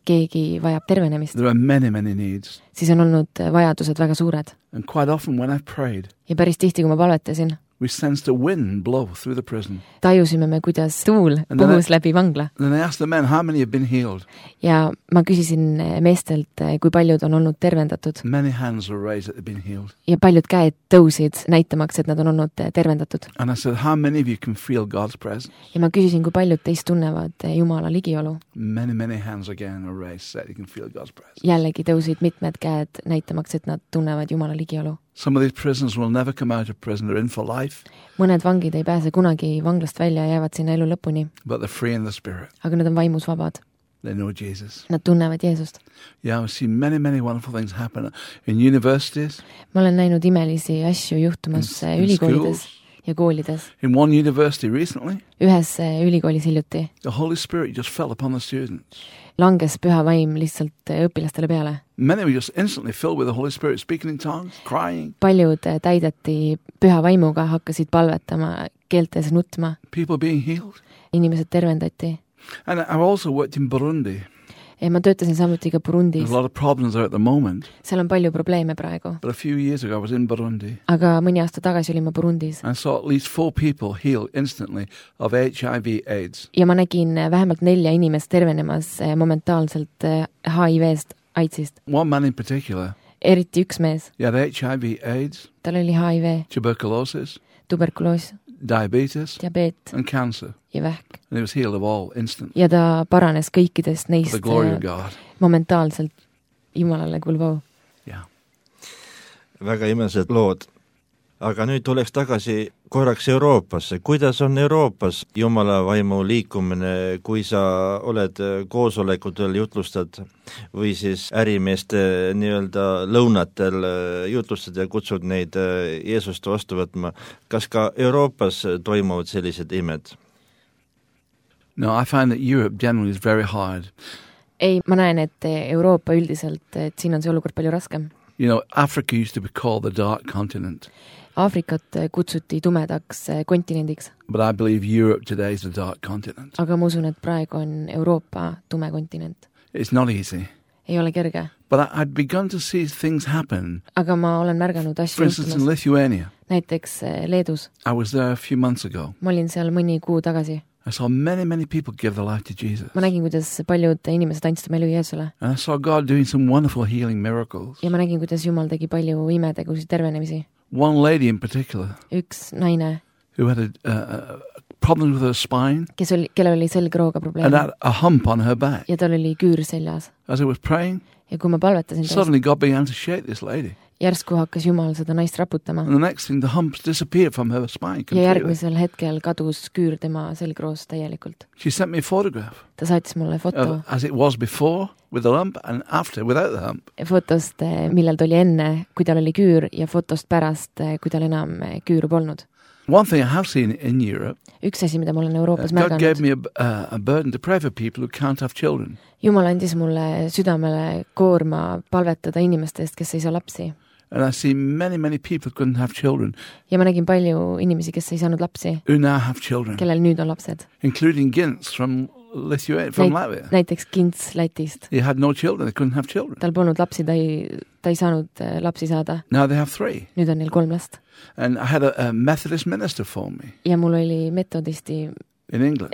keegi vajab tervenemist, There are many, many needs. siis on olnud vajadused väga suured. And quite often when I've prayed, Ja päris tihti, kui ma palvetasin, we sensed a wind blow through the prison. tajusime me, kuidas tuul puhus läbi vangla. And then I asked the men, how many have been healed? Ja ma küsisin meestelt, kui paljud on olnud tervendatud. Many hands were raised that they've been healed. Ja paljud käed tõusid näitamaks, et nad on olnud tervendatud. And I said, how many of you can feel God's presence? Ja ma küsisin, kui paljud teist tunnevad Jumala ligiolu. Many, many hands again are raised, said you can feel God's presence. Jällegi tõusid mitmed käed näitamaks, et nad tunnevad Jumala ligiolu. Some of these prisoners will never come out of prison. They're in for life, Mõned vangid ei pääse kunagi vanglast välja ja jäävad sinna elu lõpuni, but they're free in the spirit. aga nad on vaimus vabad. They know Jesus. Nad tunnevad Jeesust. Yeah, I've seen many, many wonderful things happen in universities. Ma olen näinud imelisi asju juhtumas In ülikoolides schools. ja koolides. In one university recently, Ühes ülikoolis hiljuti the Holy Spirit just fell upon the students. langes püha vaim lihtsalt õpilastele peale. Many were just instantly filled with the Holy Spirit, speaking in tongues, crying. Paljud täideti püha vaimuga, hakkasid palvetama, keeltes nutma, People being healed. inimesed tervendati. And I've also worked in Burundi. Ja ma töötasin samuti ka There's Burundis. a lot of problems there at the moment. Seal on palju probleeme praegu. But a few years ago, I was in Burundi. Aga mõni aasta tagasi olin ma Burundis. I saw at least 4 people healed instantly of HIV/AIDS. Ja ma nägin vähemalt 4 inimest tervenemas momentaalselt HIV-st, AIDSist. One man in particular, Eriti üks mees. he had HIV/AIDS, Tal oli HIV, tuberculosis, tuberkuloos, diabetes, diabeet and cancer. ja vähk. And he was healed of all instantly. Ja ta paranes kõikidest For neist the glory of God. momentaalselt. Jumalale kuuluv au. Yeah. Väga imelised lood. Aga nüüd tuleks tagasi korraks Euroopasse. Kuidas on Euroopas Jumala vaimu liikumine, kui sa oled koosolekutel jutlustad või siis ärimeeste nii-öelda lõunatel jutlustad ja kutsud neid Jeesust vastu võtma? Kas ka Euroopas toimuvad sellised imed? No, I find that Europe generally is very hard. Ei, ma näen, et Euroopa üldiselt, et siin on see olukord palju raskem. You know, Africa used to be called the dark continent, Aafrikat kutsuti tumedaks kontinendiks, but I believe Europe today is the dark continent. aga ma usun, et praegu on Euroopa tume kontinent. It's not easy. Ei ole kerge, But I'd begun to see things happen. aga ma olen märganud For asju instance, in juhtumas. Lithuania, Näiteks Leedus. I was there a few months ago. Ma olin seal mõni kuu tagasi. I saw many people give their life to Jesus. Ma nägin, kuidas paljud inimesed andsid oma elu Jeesusele. And I saw God doing some wonderful healing miracles. Ja ma nägin, kuidas Jumal tegi palju imetegusid, tervenemisi. One lady in particular Üks naine, who had a problem with her spine kellel oli selgrooga and probleem had a hump on her back. ja tal oli küür seljas. As I was praying, Ja kui ma palvetasin tast, suddenly God began to shake this lady. järsku hakkas Jumal seda naist raputama. And the next thing, the humps disappeared from her spine Ja completely. järgmisel hetkel kadus küür tema selgroost täielikult. She sent me a photograph Ta saatis mulle foto as it was before with the lump and after without the hump. fotost, millal ta oli enne, kui tal oli küür, ja fotost pärast, kui tal enam küüru polnud. One thing I have seen in Europe, Üks asi, mida ma olen Euroopas God gave märganud. me a burden to pray for people who can't have children. Jumal andis mulle südamele koorma palvetada inimeste eest, kes ei saa lapsi. And I see many people couldn't have children Ja ma nägin palju inimesi, kes ei saanud lapsi, who now have children, kellel nüüd on lapsed. including Gintz from Lithuania, from Latvia. Näiteks Kints Lätist. He had no children, they couldn't have children. Tal polnud lapsi, ta ei saanud lapsi saada. Now they have 3. Nüüd on neil 3 last. And I had a Methodist minister phone me Ja mul oli metodisti in England.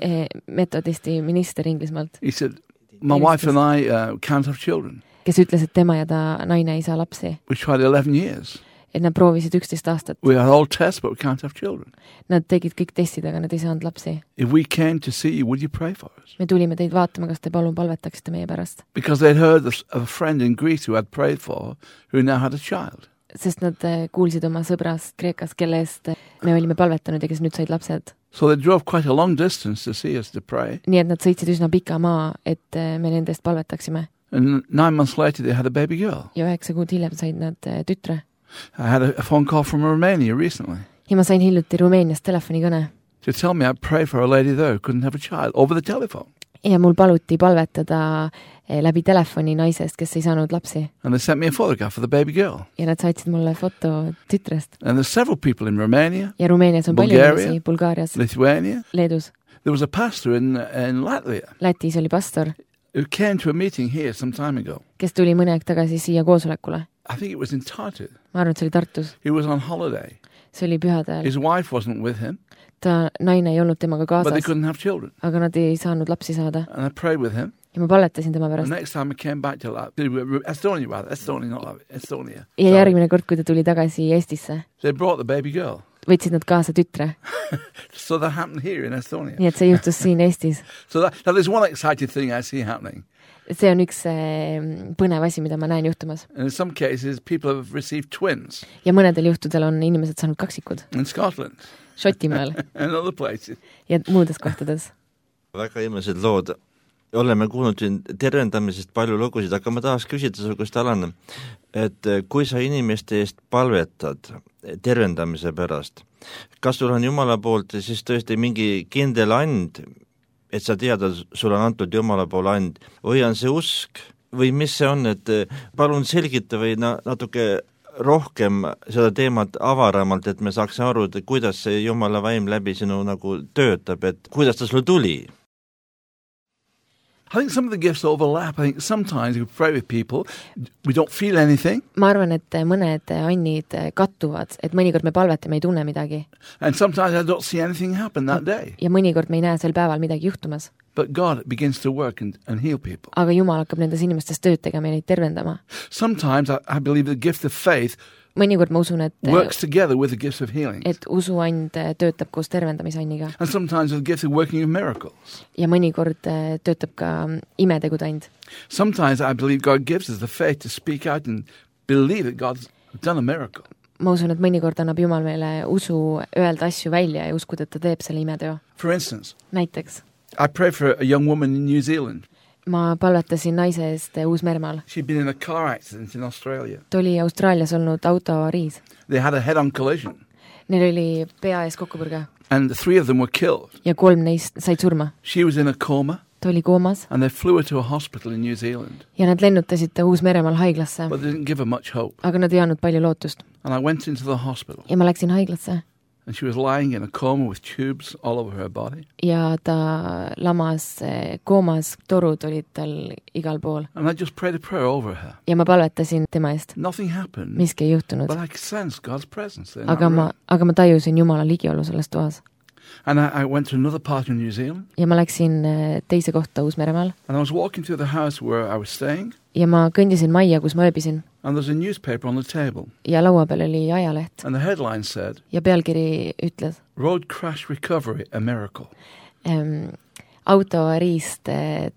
minister Inglismaalt, He said, my wife and I can't have children. kes ütles, et tema ja ta naine ei saa lapsi. We tried 11 years. Et nad proovisid 11 aastat. We had all tests, but we can't have children. Nad tegid kõik testid, aga nad ei saanud lapsi. If we came to see you, would you pray for us? Me tulime teid vaatama, kas te palun palvetaksite meie pärast. Because they'd heard of a friend in Greece who had prayed for, who now had a child. Sest nad kuulsid oma sõbrast Kreekas, kelle eest me olime palvetanud ja kes nüüd said lapsed. So they drove quite a long distance to see us to pray. Nii et nad sõitsid üsna pika maa, et me nende eest palvetaksime. And 9 months later, they had a baby girl. Ja 9 kuud hiljem said nad tütre. I had a phone call from Romania recently Ja ma sain hiljuti Rumeeniast telefonikõne. to tell me I'd pray for a lady there who couldn't have a child over the telephone. Ja mul paluti palvetada läbi telefoni naisest, kes ei saanud lapsi. And they sent me a photograph of the baby girl. Ja nad saatsid mulle foto tütrest. And there's several people in Romania, Ja Rumeenias on palju Bulgaria. inimesi, Bulgaarias, Lithuania. Leedus. There was a pastor in Latvia Lätis oli pastor, who came to a meeting here some time ago. kes tuli mõne aeg tagasi siia koosolekule. I think it was in Tartu. Ma arvan, et see oli Tartus. He was on holiday. See oli pühadel. His wife wasn't with him, Ta naine ei olnud temaga but they kaasas, couldn't have children. aga nad ei saanud lapsi saada. And I prayed with him. Ja ma palvetasin tema The pärast. next time I came back to Estonia, not Latvia, Estonia. Ja järgmine kord, kui ta tuli tagasi Eestisse, They brought the baby girl. võtsid nad kaasa tütre. So that happened here in Estonia. Nii et see juhtus siin Eestis. So that is one exciting thing I see happening. See on üks põnev asi, mida ma näen juhtumas. And in some cases, people have received twins Ja mõnedel juhtudel on inimesed saanud kaksikud. in Scotland Šotimaal and other places. ja muudes kohtades. väga imelised lood. Oleme kuulnud siin tervendamisest palju lugusid, aga ma tahaks küsida su käest, Alan, et kui sa inimeste eest palvetad tervendamise pärast, kas sul on Jumala poolt siis tõesti mingi kindel and, et sa tead, sul on antud Jumala poole and, või on see usk või mis see on, et palun selgita või natuke rohkem seda teemat avaramalt, et me saaks aru, et kuidas see Jumala vaim läbi sinu nagu töötab, et kuidas ta sulle tuli? I think some of the gifts overlap. I think sometimes we pray with people, we don't feel anything, Ma arvan, et mõned annid kattuvad, et mõnikord me palvetame, ei tunne midagi. and sometimes I don't see anything happen that day. Ja mõnikord me ei näe sel päeval midagi juhtumas. But God begins to work and heal people. Aga Jumal hakkab nendes inimestes tööd tegema ja neid tervendama. Sometimes I believe the gift of faith Mõnikord ma usun, works together with the gifts of healing. et usuand töötab koos tervendamisanniga. And sometimes with the gift of working of miracles. Ja mõnikord töötab ka imetegudand. Sometimes I believe God gives us the faith to speak out and believe that God's done a miracle. Ma usun, et mõnikord annab Jumal meile usu öelda asju välja ja uskuda, et ta teeb selle imeteo. For instance, Näiteks, I pray for a young woman in New Zealand. ma palvetasin naise eest Uus-Meremaal. She'd been in a car accident in Australia. Ta oli Austraalias olnud autoavariis. They had a head-on collision, Neil oli pea ees kokkupõrge and 3 of them were killed. ja 3 neist said surma. She was in a coma. ta oli koomas And they flew her to a hospital in New Zealand. ja nad lennutasid ta Uus-Meremaal haiglasse, But they didn't give her much hope. aga nad ei andnud palju lootust. And I went into the hospital. Ja ma läksin haiglasse And she was lying in a coma with tubes all over her body. ja ta lamas koomas, torud olid tal igal pool. And I just prayed a prayer over her. Ja ma palvetasin tema eest. Nothing happened. Miski ei juhtunud. But I sensed God's presence there. Aga ma tajusin Jumala ligiolu selles toas. And I went to another part in New Zealand. Ja ma läksin teise kohta Uus-Meremaal. And I was walking through the house where I was staying. Ja ma kõndisin majja, kus ma ööbisin. And there's a newspaper on the table. Ja laua peal oli ajaleht. And the headline said, ja pealkiri ütles, Road crash recovery, a miracle. Autoavariist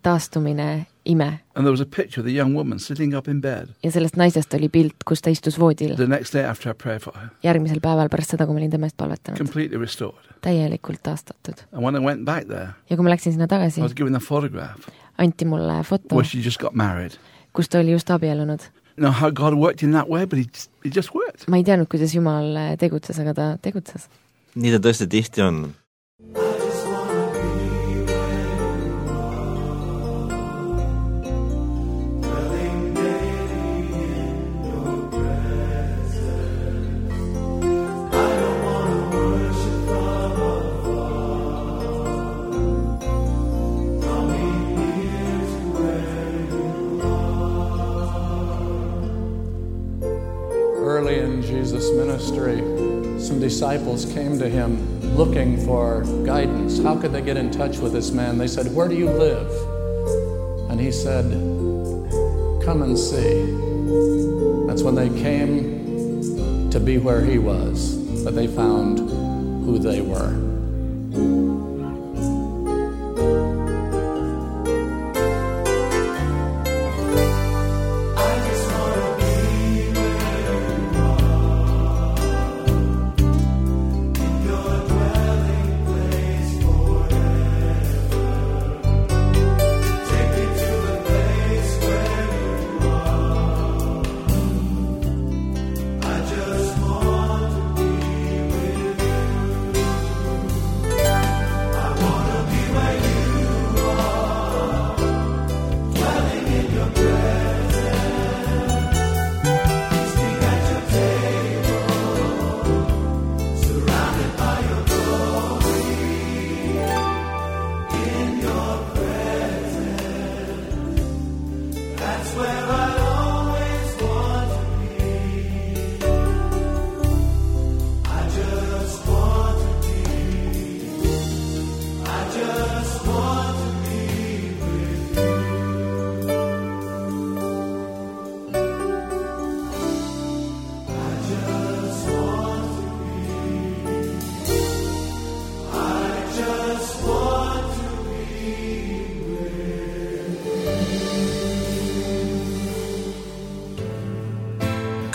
taastumine, ime. And there was a picture of the young woman sitting up in bed. Ja sellest naisest oli pilt, kus ta istus voodil. The next day after I prayed for her. Järgmisel päeval pärast seda, kui ma olin tema eest palvetanud. Completely restored. Täielikult taastatud. And when I went back there, ja kui ma läksin sinna tagasi, I was given a photograph. Anti mulle foto, where she just got married. Kus ta oli just abiellunud. No, how God worked in that way, but it just worked. Ma ei teadnud, kuidas Jumal tegutses, aga ta tegutses. Nii ta tõesti tihti on. Early in Jesus' ministry, some disciples came to him looking for guidance. How could they get in touch with this man? They said, "Where do you live?" And he said, "Come and see." That's when they came to be where he was, that they found who they were.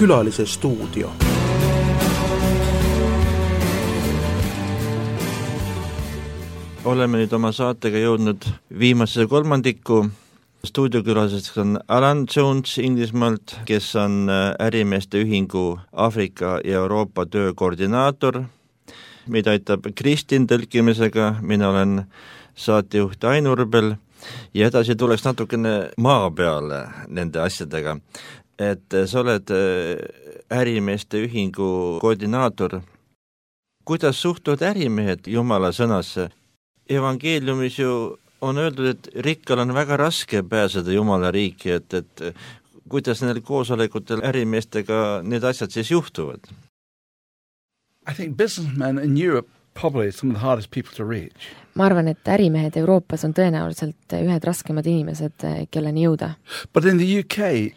Külalise stuudio. Oleme nüüd oma saatega jõudnud viimase kolmandiku. Stuudiokülaliseks on Alan Jones Inglismaalt, kes on ärimeeste ühingu Aafrika ja Euroopa töö koordinaator. Meid aitab Kristin tõlkimisega, mina olen saatejuht Ain Urbel ja edasi tuleks natukene maa peale nende asjadega. Et sa oled ärimeeste ühingu koordinaator. Kuidas suhtuvad ärimehed Jumala sõnasse? Evangeeliumis ju on öeldud, et rikkal on väga raske pääseda Jumala riiki, et kuidas nendel koosolekutel ärimeestega need asjad siis juhtuvad? I think businessmen in Europe probably some of the hardest people to reach. Ma arvan, et ärimehed Euroopas on tõenäoliselt ühed raskemad inimesed, kelleni jõuda. But in the UK,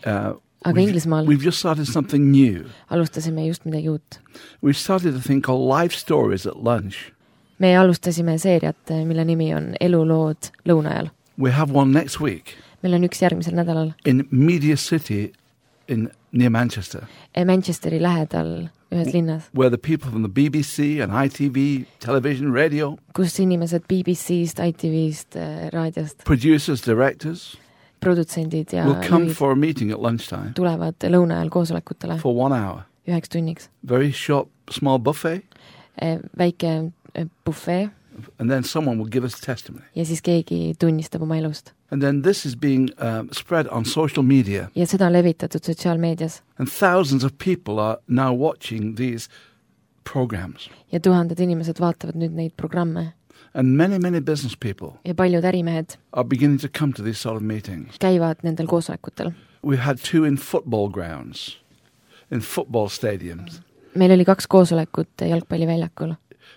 aga Inglismaal we've just started something new. Alustasime just midagi uut. We've started a thing called Life Stories at Lunch. Me alustasime seeriat, mille nimi on Elulood lõunajal. We have one next week. Meil on üks järgmisel nädalal. In Media City near Manchester. Manchesteri lähedal ühes linnas. Where the people from the BBC and ITV, television, radio. Kus inimesed BBC'st, ITV'st, raadiost. Producers, directors. Produtsendid ja will come for a meeting at lunchtime. Tulevad lõunajal koosolekutele. For 1 hour. 1 tunniks. Very short, small buffet. Väike buffet. And then someone will give us testimony. ja siis keegi tunnistab oma elust. And then this is being spread on social media. Ja seda on levitatud sotsiaalmeedias. And thousands of people are now watching these programs. Ja tuhanded inimesed vaatavad nüüd neid programme. And many business people Ja paljud ärimehed are beginning to come to these sort of meetings. käivad nendel koosolekutel. We had 2 in football grounds, in football stadiums. Meil oli 2 koosolekut jalgpalliväljakul.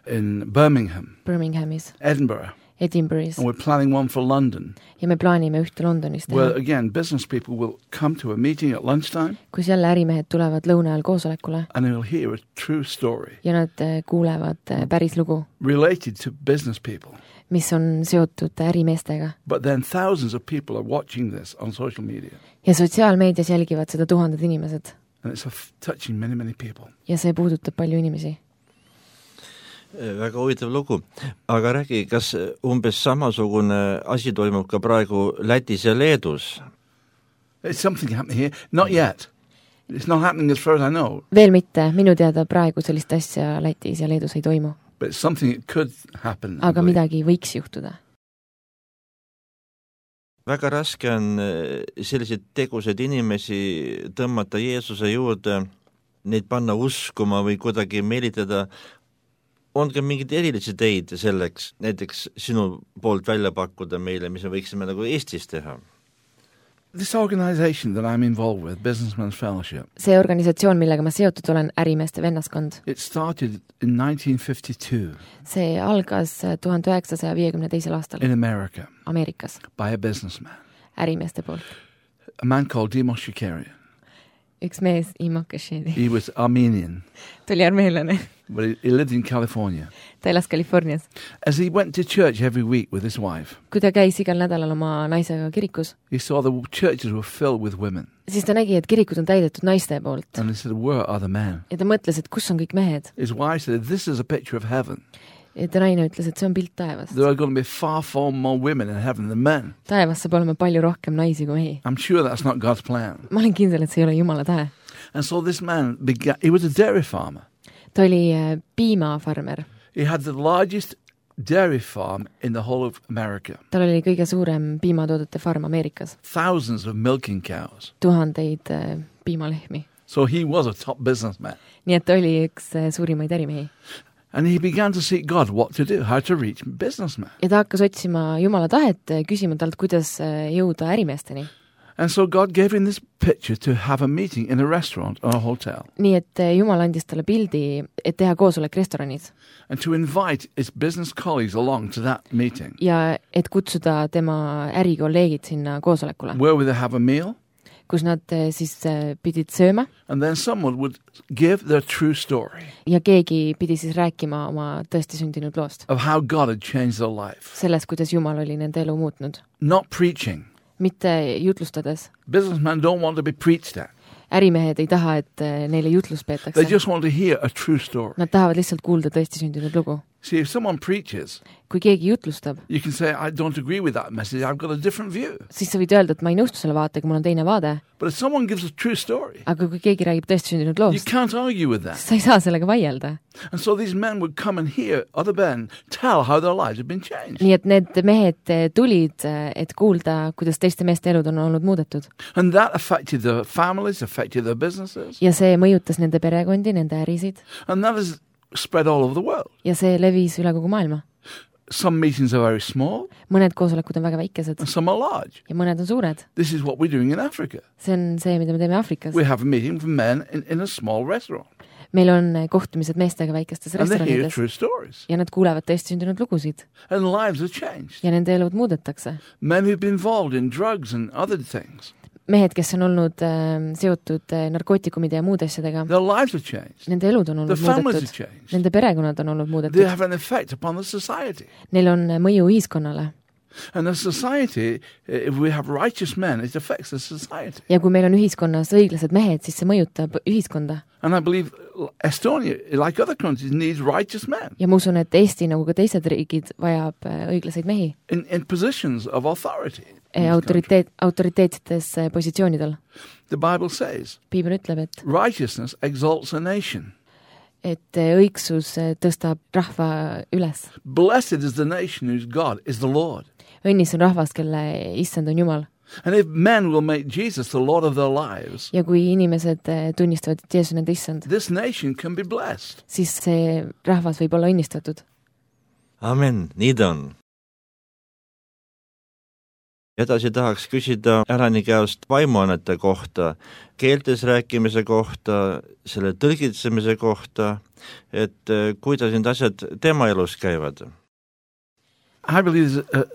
In Birmingham, Birminghamis, Edinburgh, Edinburgh'is. and we're planning one for London. Ja me plaanime ühte Londonis teha. Where again, business people will come to a meeting at lunchtime Kus jälle ärimehed tulevad lõuna ajal koosolekule and they will hear a true story ja nad kuulevad päris lugu, related to business people. mis on seotud ärimeestega. But then thousands of people are watching this on social media. Ja sotsiaalmeedias jälgivad seda tuhanded inimesed. And it's touching many people. Ja see puudutab palju inimesi. Väga huvitav lugu. Aga räägi, kas umbes samasugune asi toimub ka praegu Lätis ja Leedus? It's something happening here. Not yet. It's not happening as far as I know. Veel mitte, minu teada praegu sellist asja Lätis ja Leedus ei toimu. But it's something that could happen. Aga midagi võiks juhtuda. Väga raske on selliseid tegusid inimesi tõmmata Jeesuse juurde, neid panna uskuma või kuidagi meelitada. On ka mingid erilisi teid selleks, näiteks sinu poolt välja pakkuda meile, mis me võiksime nagu Eestis teha? This organization that I'm involved with, Businessmen's Fellowship, See organisatsioon, millega ma seotud olen, ärimeeste vennaskond, it started in 1952 see algas 1952. aastal in America Ameerikas by a businessman, ärimeeste poolt. a man called Demos Shakarian. Üks mees, Imo Kashedi, He was Armenian, tuli armeelane. but he lived in California. Ta elas Californias. As he went to church every week with his wife, Kui ta käis igal nädalal oma naisega kirikus, he saw the churches were filled with women. siis ta nägi, et kirikud on täidetud naiste poolt. And he said, where are the men? Ja ta mõtles, et kus on kõik mehed. His wife said, this is a picture of heaven. Ja ta naine ütles, et see on pilt taevast. There are going to be far more women in heaven than men. Taevas saab olema palju rohkem naisi kui mehi. I'm sure that's not God's plan. Ma olen kindel, et see ei ole Jumala tahe. And so this man began, he was a dairy farmer. Ta oli piimafarmer. He had the largest dairy farm in the whole of America. Tal oli kõige suurem piimatoodete farm Ameerikas. Thousands of milking cows. Tuhandeid piimalehmi. So he was a top businessman. Nii et ta oli üks suurimaid ärimehi. And he began to seek God what to do, how to reach businessmen. Ja ta hakkas otsima Jumala tahet, küsima talt, kuidas jõuda ärimeesteni. And so God gave him this picture to have a meeting in a restaurant or a hotel. Nii et Jumal andis talle pildi, et teha koosolek restoranis. And to invite his business colleagues along to that meeting. Ja et kutsuda tema ärikolleegid sinna koosolekule. Where would they have a meal? Kus nad siis pidid sööma. And then someone would give their true story. Ja keegi pidi siis rääkima oma tõesti sündinud loost. Of how God had changed their life. Sellest, kuidas Jumal oli nende elu muutnud. Not preaching. Mitte jutlustades. Businessmen don't want to be preached at. Ärimehed ei taha, et neile jutlust peetakse. They just want to hear a true story. Nad tahavad lihtsalt kuulda tõesti sündinud lugu. See, if someone preaches, Kui keegi jutlustab, you can say, I don't agree with that message, I've got a different view. siis sa võid öelda, et ma ei nõustu selle vaatega, mul on teine vaade. But if someone gives a true story, Aga kui keegi räägib tõesti sündinud you loost, can't argue with that. sa ei saa sellega vaielda. And so these men would come and hear other men tell how their lives had been changed. Nii et need mehed tulid, et kuulda, kuidas teiste meeste elud on olnud muudetud. And that affected their families, affected their businesses. Ja see mõjutas nende perekondi, nende ärisid. And that has spread all over the world. Ja see levis üle kogu maailma. Some meetings are very small, Mõned koosolekud on väga väikesed and some are large. ja mõned on suured. This is what we're doing in Africa. See on see, mida me teeme Afrikas. We have a meeting with men in a small restaurant. Meil on kohtumised meestega väikestes And they hear restoranides true stories. ja nad kuulevad tõesti sündinud lugusid And lives are changed. ja nende elud muudetakse. Men who've been involved in drugs and other things, Mehed, kes on olnud seotud narkootikumide ja muude asjadega, their lives are changed. nende elud on Their olnud families are muudetud. changed. Nende perekonnad on olnud They muudetud. have an effect upon the society. Neil on mõju ühiskonnale. And the society, if we have righteous men, it affects the society. Ja kui meil on ühiskonnas õiglased mehed, siis see mõjutab ühiskonda. And I believe Estonia, like other countries, needs righteous men Ja ma usun, et Eesti, nagu ka teised riigid, vajab õiglaseid mehi in positions of authority. in this country. autoriteetsetes positsioonidel. The Bible says, Piibel ütleb, et righteousness exalts a nation. et õigsus tõstab rahva üles. Blessed is the nation whose God is the Lord. Õnnis on rahvas, kelle issand on Jumal. And if men will make Jesus the Lord of their lives, Ja kui inimesed tunnistavad, et Jeesus on nende issand, this nation can be blessed. siis see rahvas võib olla õnnistatud. Amen, nii ta on. Edasi tahaks küsida Alani käest vaimuannete kohta, keeltes rääkimise kohta, selle tõlgitsemise kohta, et kuidas need asjad tema elus käivad. I believe there's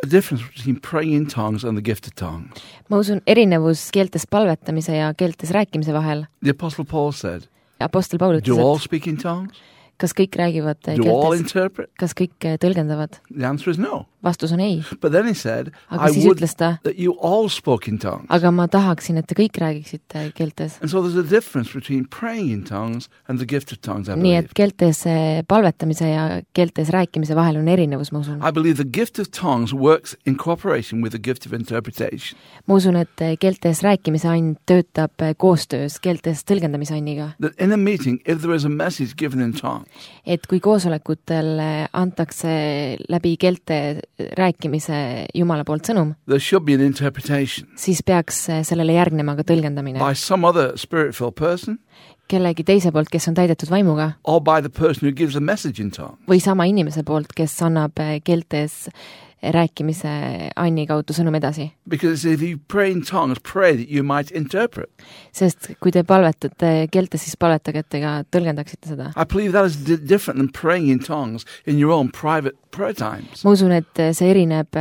a difference between praying in tongues and the gift of tongues. Ma usun erinevus keeltes palvetamise ja keeltes rääkimise vahel. The Apostle Paul said, Apostel Paul do ütles, all et speak in tongues? kas kõik räägivad Do all keeltes, interpret? kas kõik tõlgendavad? The answer is no. Vastus on ei. But then he said, Aga I siis would ütles ta, that you all spoke in tongues. aga ma tahaksin, et te kõik räägiksite keeltes. And so there's a difference between praying in tongues and the gift of tongues, I Nii believe. et keeltes palvetamise ja keeltes rääkimise vahel on erinevus, ma usun. I believe the gift of tongues works in cooperation with the gift of interpretation. Ma usun, et keeltes rääkimise ain töötab koostöös keeltes tõlgendamise ainiga. That in a meeting, if there is a message given in tongues, Et kui koosolekutel antakse läbi keelte rääkimise Jumala poolt sõnum, there should be an interpretation siis peaks sellele järgnema ka tõlgendamine. by some other spirit-filled person Kellegi teise poolt, kes on täidetud vaimuga, or by the person who gives a message in tongues. või sama inimese poolt, kes annab keeltes rääkimise anni kaudu sõnum edasi. Because if you pray in tongues, pray that you might interpret. Sest kui te palvetate keeltes, siis palvetage, et te ka tõlgendaksite seda. I believe that is different than praying in tongues in your own private prayer times. Ma usun, et see erineb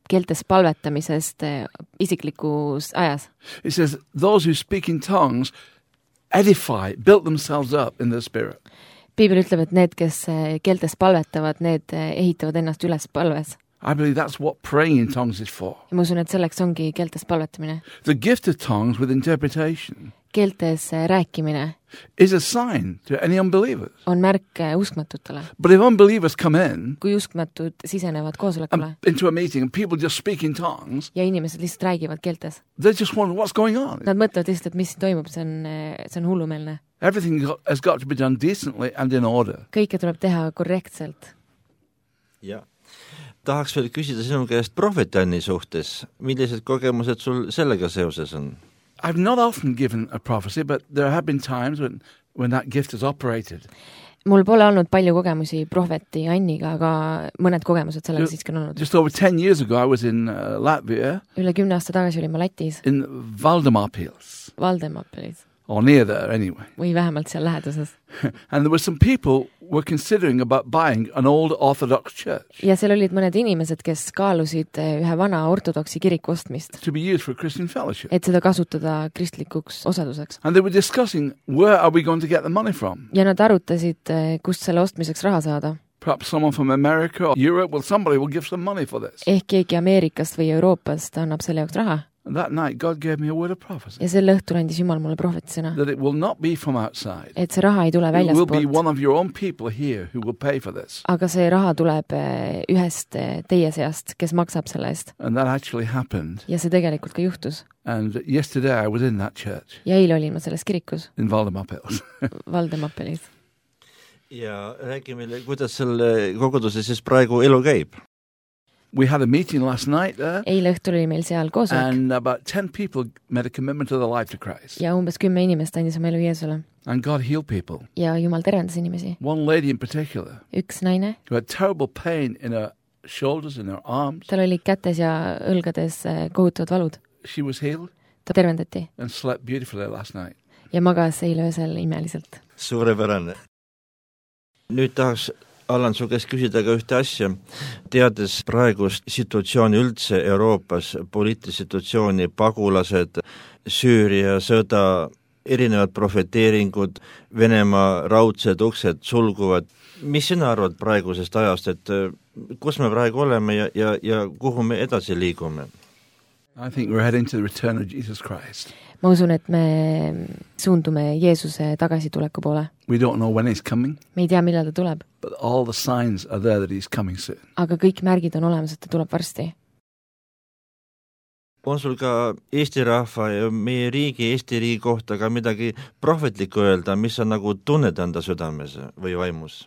keeltes palvetamisest isiklikus ajas. It says, those who speak in tongues edify, build themselves up in the spirit. Piibel ütleb, et need, kes keeltes palvetavad, need ehitavad ennast üles palves. I believe that's what praying in tongues is for. Ja ma usun, et selleks ongi keeltes palvetamine. The gift of tongues with interpretation Keeltes rääkimine is a sign to any unbelievers. on märk uskmatutele. But if unbelievers come in Kui uskmatud sisenevad koosolekule and into a meeting and people just speak in tongues, ja inimesed lihtsalt räägivad keeltes, they just wonder what's going on. nad mõtlevad lihtsalt, et mis siin toimub, see on hullumeelne. Everything has got to be done decently and in order. Kõike tuleb teha korrektselt. Ja. Tahaks veel küsida sinu käest prohvetianni suhtes. Millised kogemused sul sellega seoses on? I've not often given a prophecy, but there have been times when that gift has operated. Mul pole olnud palju kogemusi prohveti Anniga, aga mõned kogemused sellega siiski on olnud. Just over 10 years ago, I was in Latvia, Üle 10 aasta tagasi olin ma Lätis, in Valdemarpils, Valdemapelis, or near there anyway. või vähemalt seal läheduses. And there were some people were considering about buying an old Orthodox church Ja seal olid mõned inimesed, kes kaalusid ühe vana ortodoksi kiriku ostmist, to be used for Christian fellowship. et seda kasutada kristlikuks osaduseks. And they were discussing, where are we going to get the money from? Ja nad arutasid, kust selle ostmiseks raha saada. Perhaps someone from America or Europe, well, somebody will give some money for this. Ehk keegi Ameerikast või Euroopast annab selle jaoks raha. And that night, God gave me a word of prophecy, Ja sel õhtul andis Jumal mulle prohvetisõna, that it will not be from outside. et see raha ei tule It will be väljaspoolt, one of your own people here who will pay for this. aga see raha tuleb ühest teie seast, kes maksab selle eest. And that actually happened. Ja see tegelikult ka juhtus. And yesterday I was in that church Ja eile olin ma selles kirikus, in Valdemarpils. Valdemapelis. Ja räägi meile, kuidas selle koguduse siis praegu elu käib? We had a meeting last night there, Eile õhtul oli meil seal koosolek and about 10 people made a commitment to their life to Christ. ja umbes 10 inimest andis oma elu Jeesule. And God healed people. Ja Jumal terendas inimesi. One lady in particular Üks naine, who had terrible pain in her shoulders and her arms, tal oli kätes ja õlgades kohutavad valud. she was healed Ta tervendati and slept beautifully last night. ja magas eile öösel imeliselt. Suurepärane. Nüüd tahaks Allan su käest küsida ka ühte asja, teades praegust situatsiooni üldse Euroopas, poliitilist situatsiooni, pagulased, Süüria sõda, erinevad profeteeringud, Venemaa raudsed uksed sulguvad. Mis sina arvad praegusest ajast, et kus me praegu oleme ja kuhu me edasi liigume? I think we're heading to the return of Jesus Christ. Ma usun, et me suundume Jeesuse tagasituleku poole. We don't know when he's coming, Me ei tea, millal ta tuleb, but all the signs are there that he's coming soon. aga kõik märgid on olemas, et ta tuleb varsti. on sul ka Eesti rahva ja meie riigi, Eesti riigi kohta ka midagi prohvetlikku öelda, mis on nagu tunned enda südames või vaimus?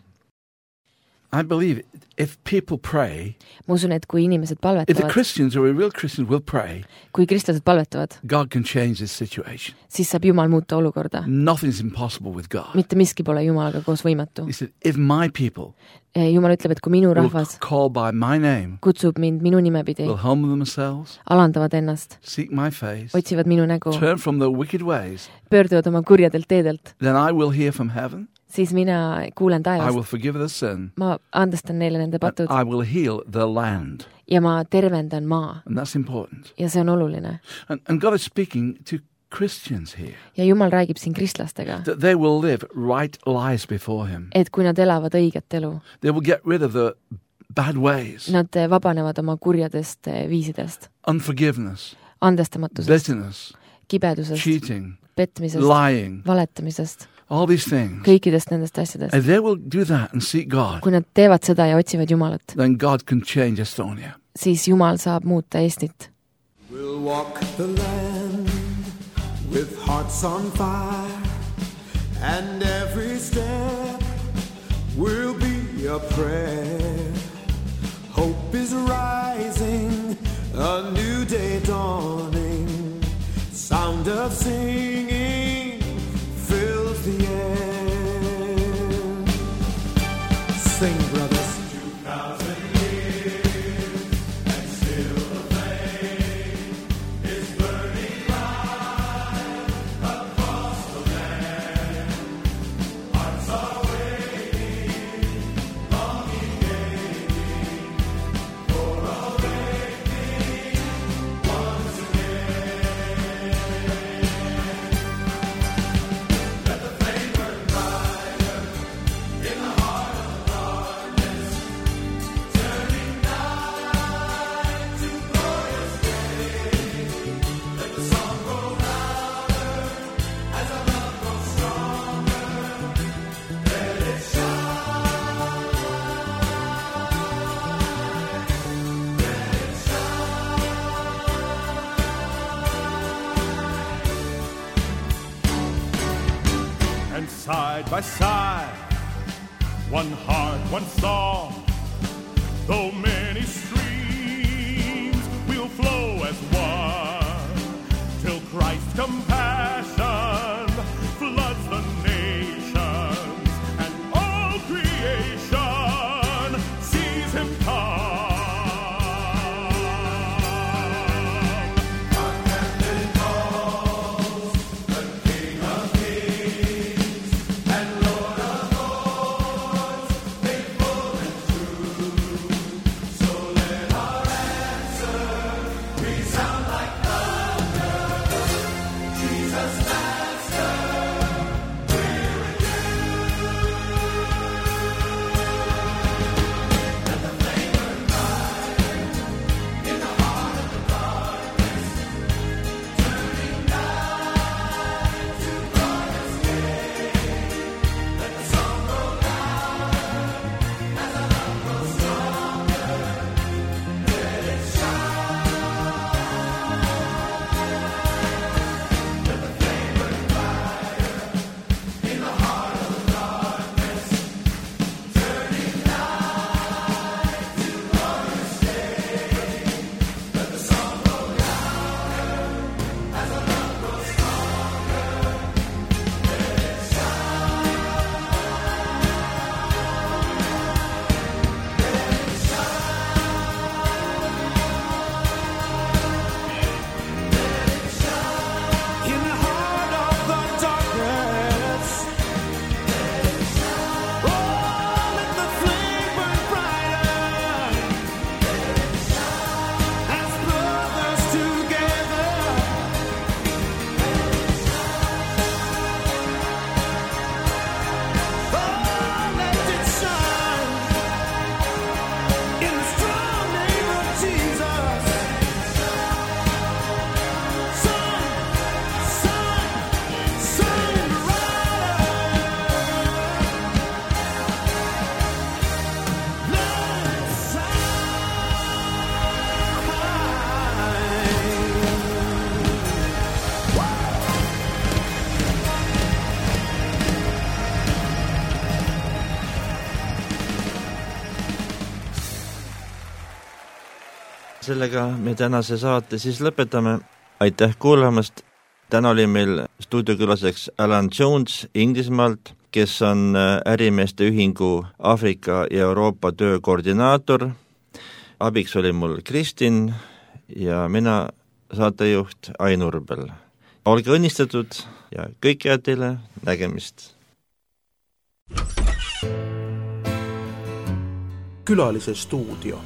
I believe if people pray, ma usun, et kui inimesed if the palvetavad, Christians or a real Christian will pray, kui kristlased palvetavad, God can change this situation. siis saab Jumal muuta olukorda. Nothing's impossible with God. Mitte miski pole Jumalaga koos võimatu. He said, if my people Jumal ütleb, et kui minu will rahvas call by my name, kutsub mind minu nimepidi, will humble themselves, alandavad ennast, seek my face, otsivad minu nägu, turn from their wicked ways, pöörduvad oma kurjadelt teedelt, then I will hear from heaven, siis mina kuulen I will taevast. forgive their sin, Ma andestan neile nende patud I will heal their land. ja ma tervendan maa. And that's important. Ja see on oluline. And God is speaking to Christians here, Ja Jumal räägib siin kristlastega, that they will live right lives before Him. et kui nad elavad õiget elu, They will get rid of the bad ways, nad vabanevad oma kurjadest viisidest, unforgiveness, andestamatusest, bitterness, kibedusest, cheating, petmisest, lying, valetamisest, all these things. kõikidest nendest asjadest. If they will do that and seek God, Kui nad teevad seda ja otsivad Jumalat, then God can change Estonia. siis Jumal saab muuta Eestit. We'll walk the land with hearts on fire, and every step will be a prayer. Hope is rising, a new day dawning, sound of singing fills the air. Sing, brothers. Side by side, one heart, one song, though many streams will flow as one, till Christ's compassion floods the nations, and all creation sees Him come. sellega me tänase saate siis lõpetame. Aitäh kuulamast. Täna oli meil stuudiokülaseks Alan Jones Inglismaalt, kes on ärimeeste ühingu Aafrika ja Euroopa töö koordinaator. Abiks oli mul Kristin ja mina saatejuht Ain Urbel. Olge õnnistatud ja kõik head teile, nägemist. Külalise stuudio.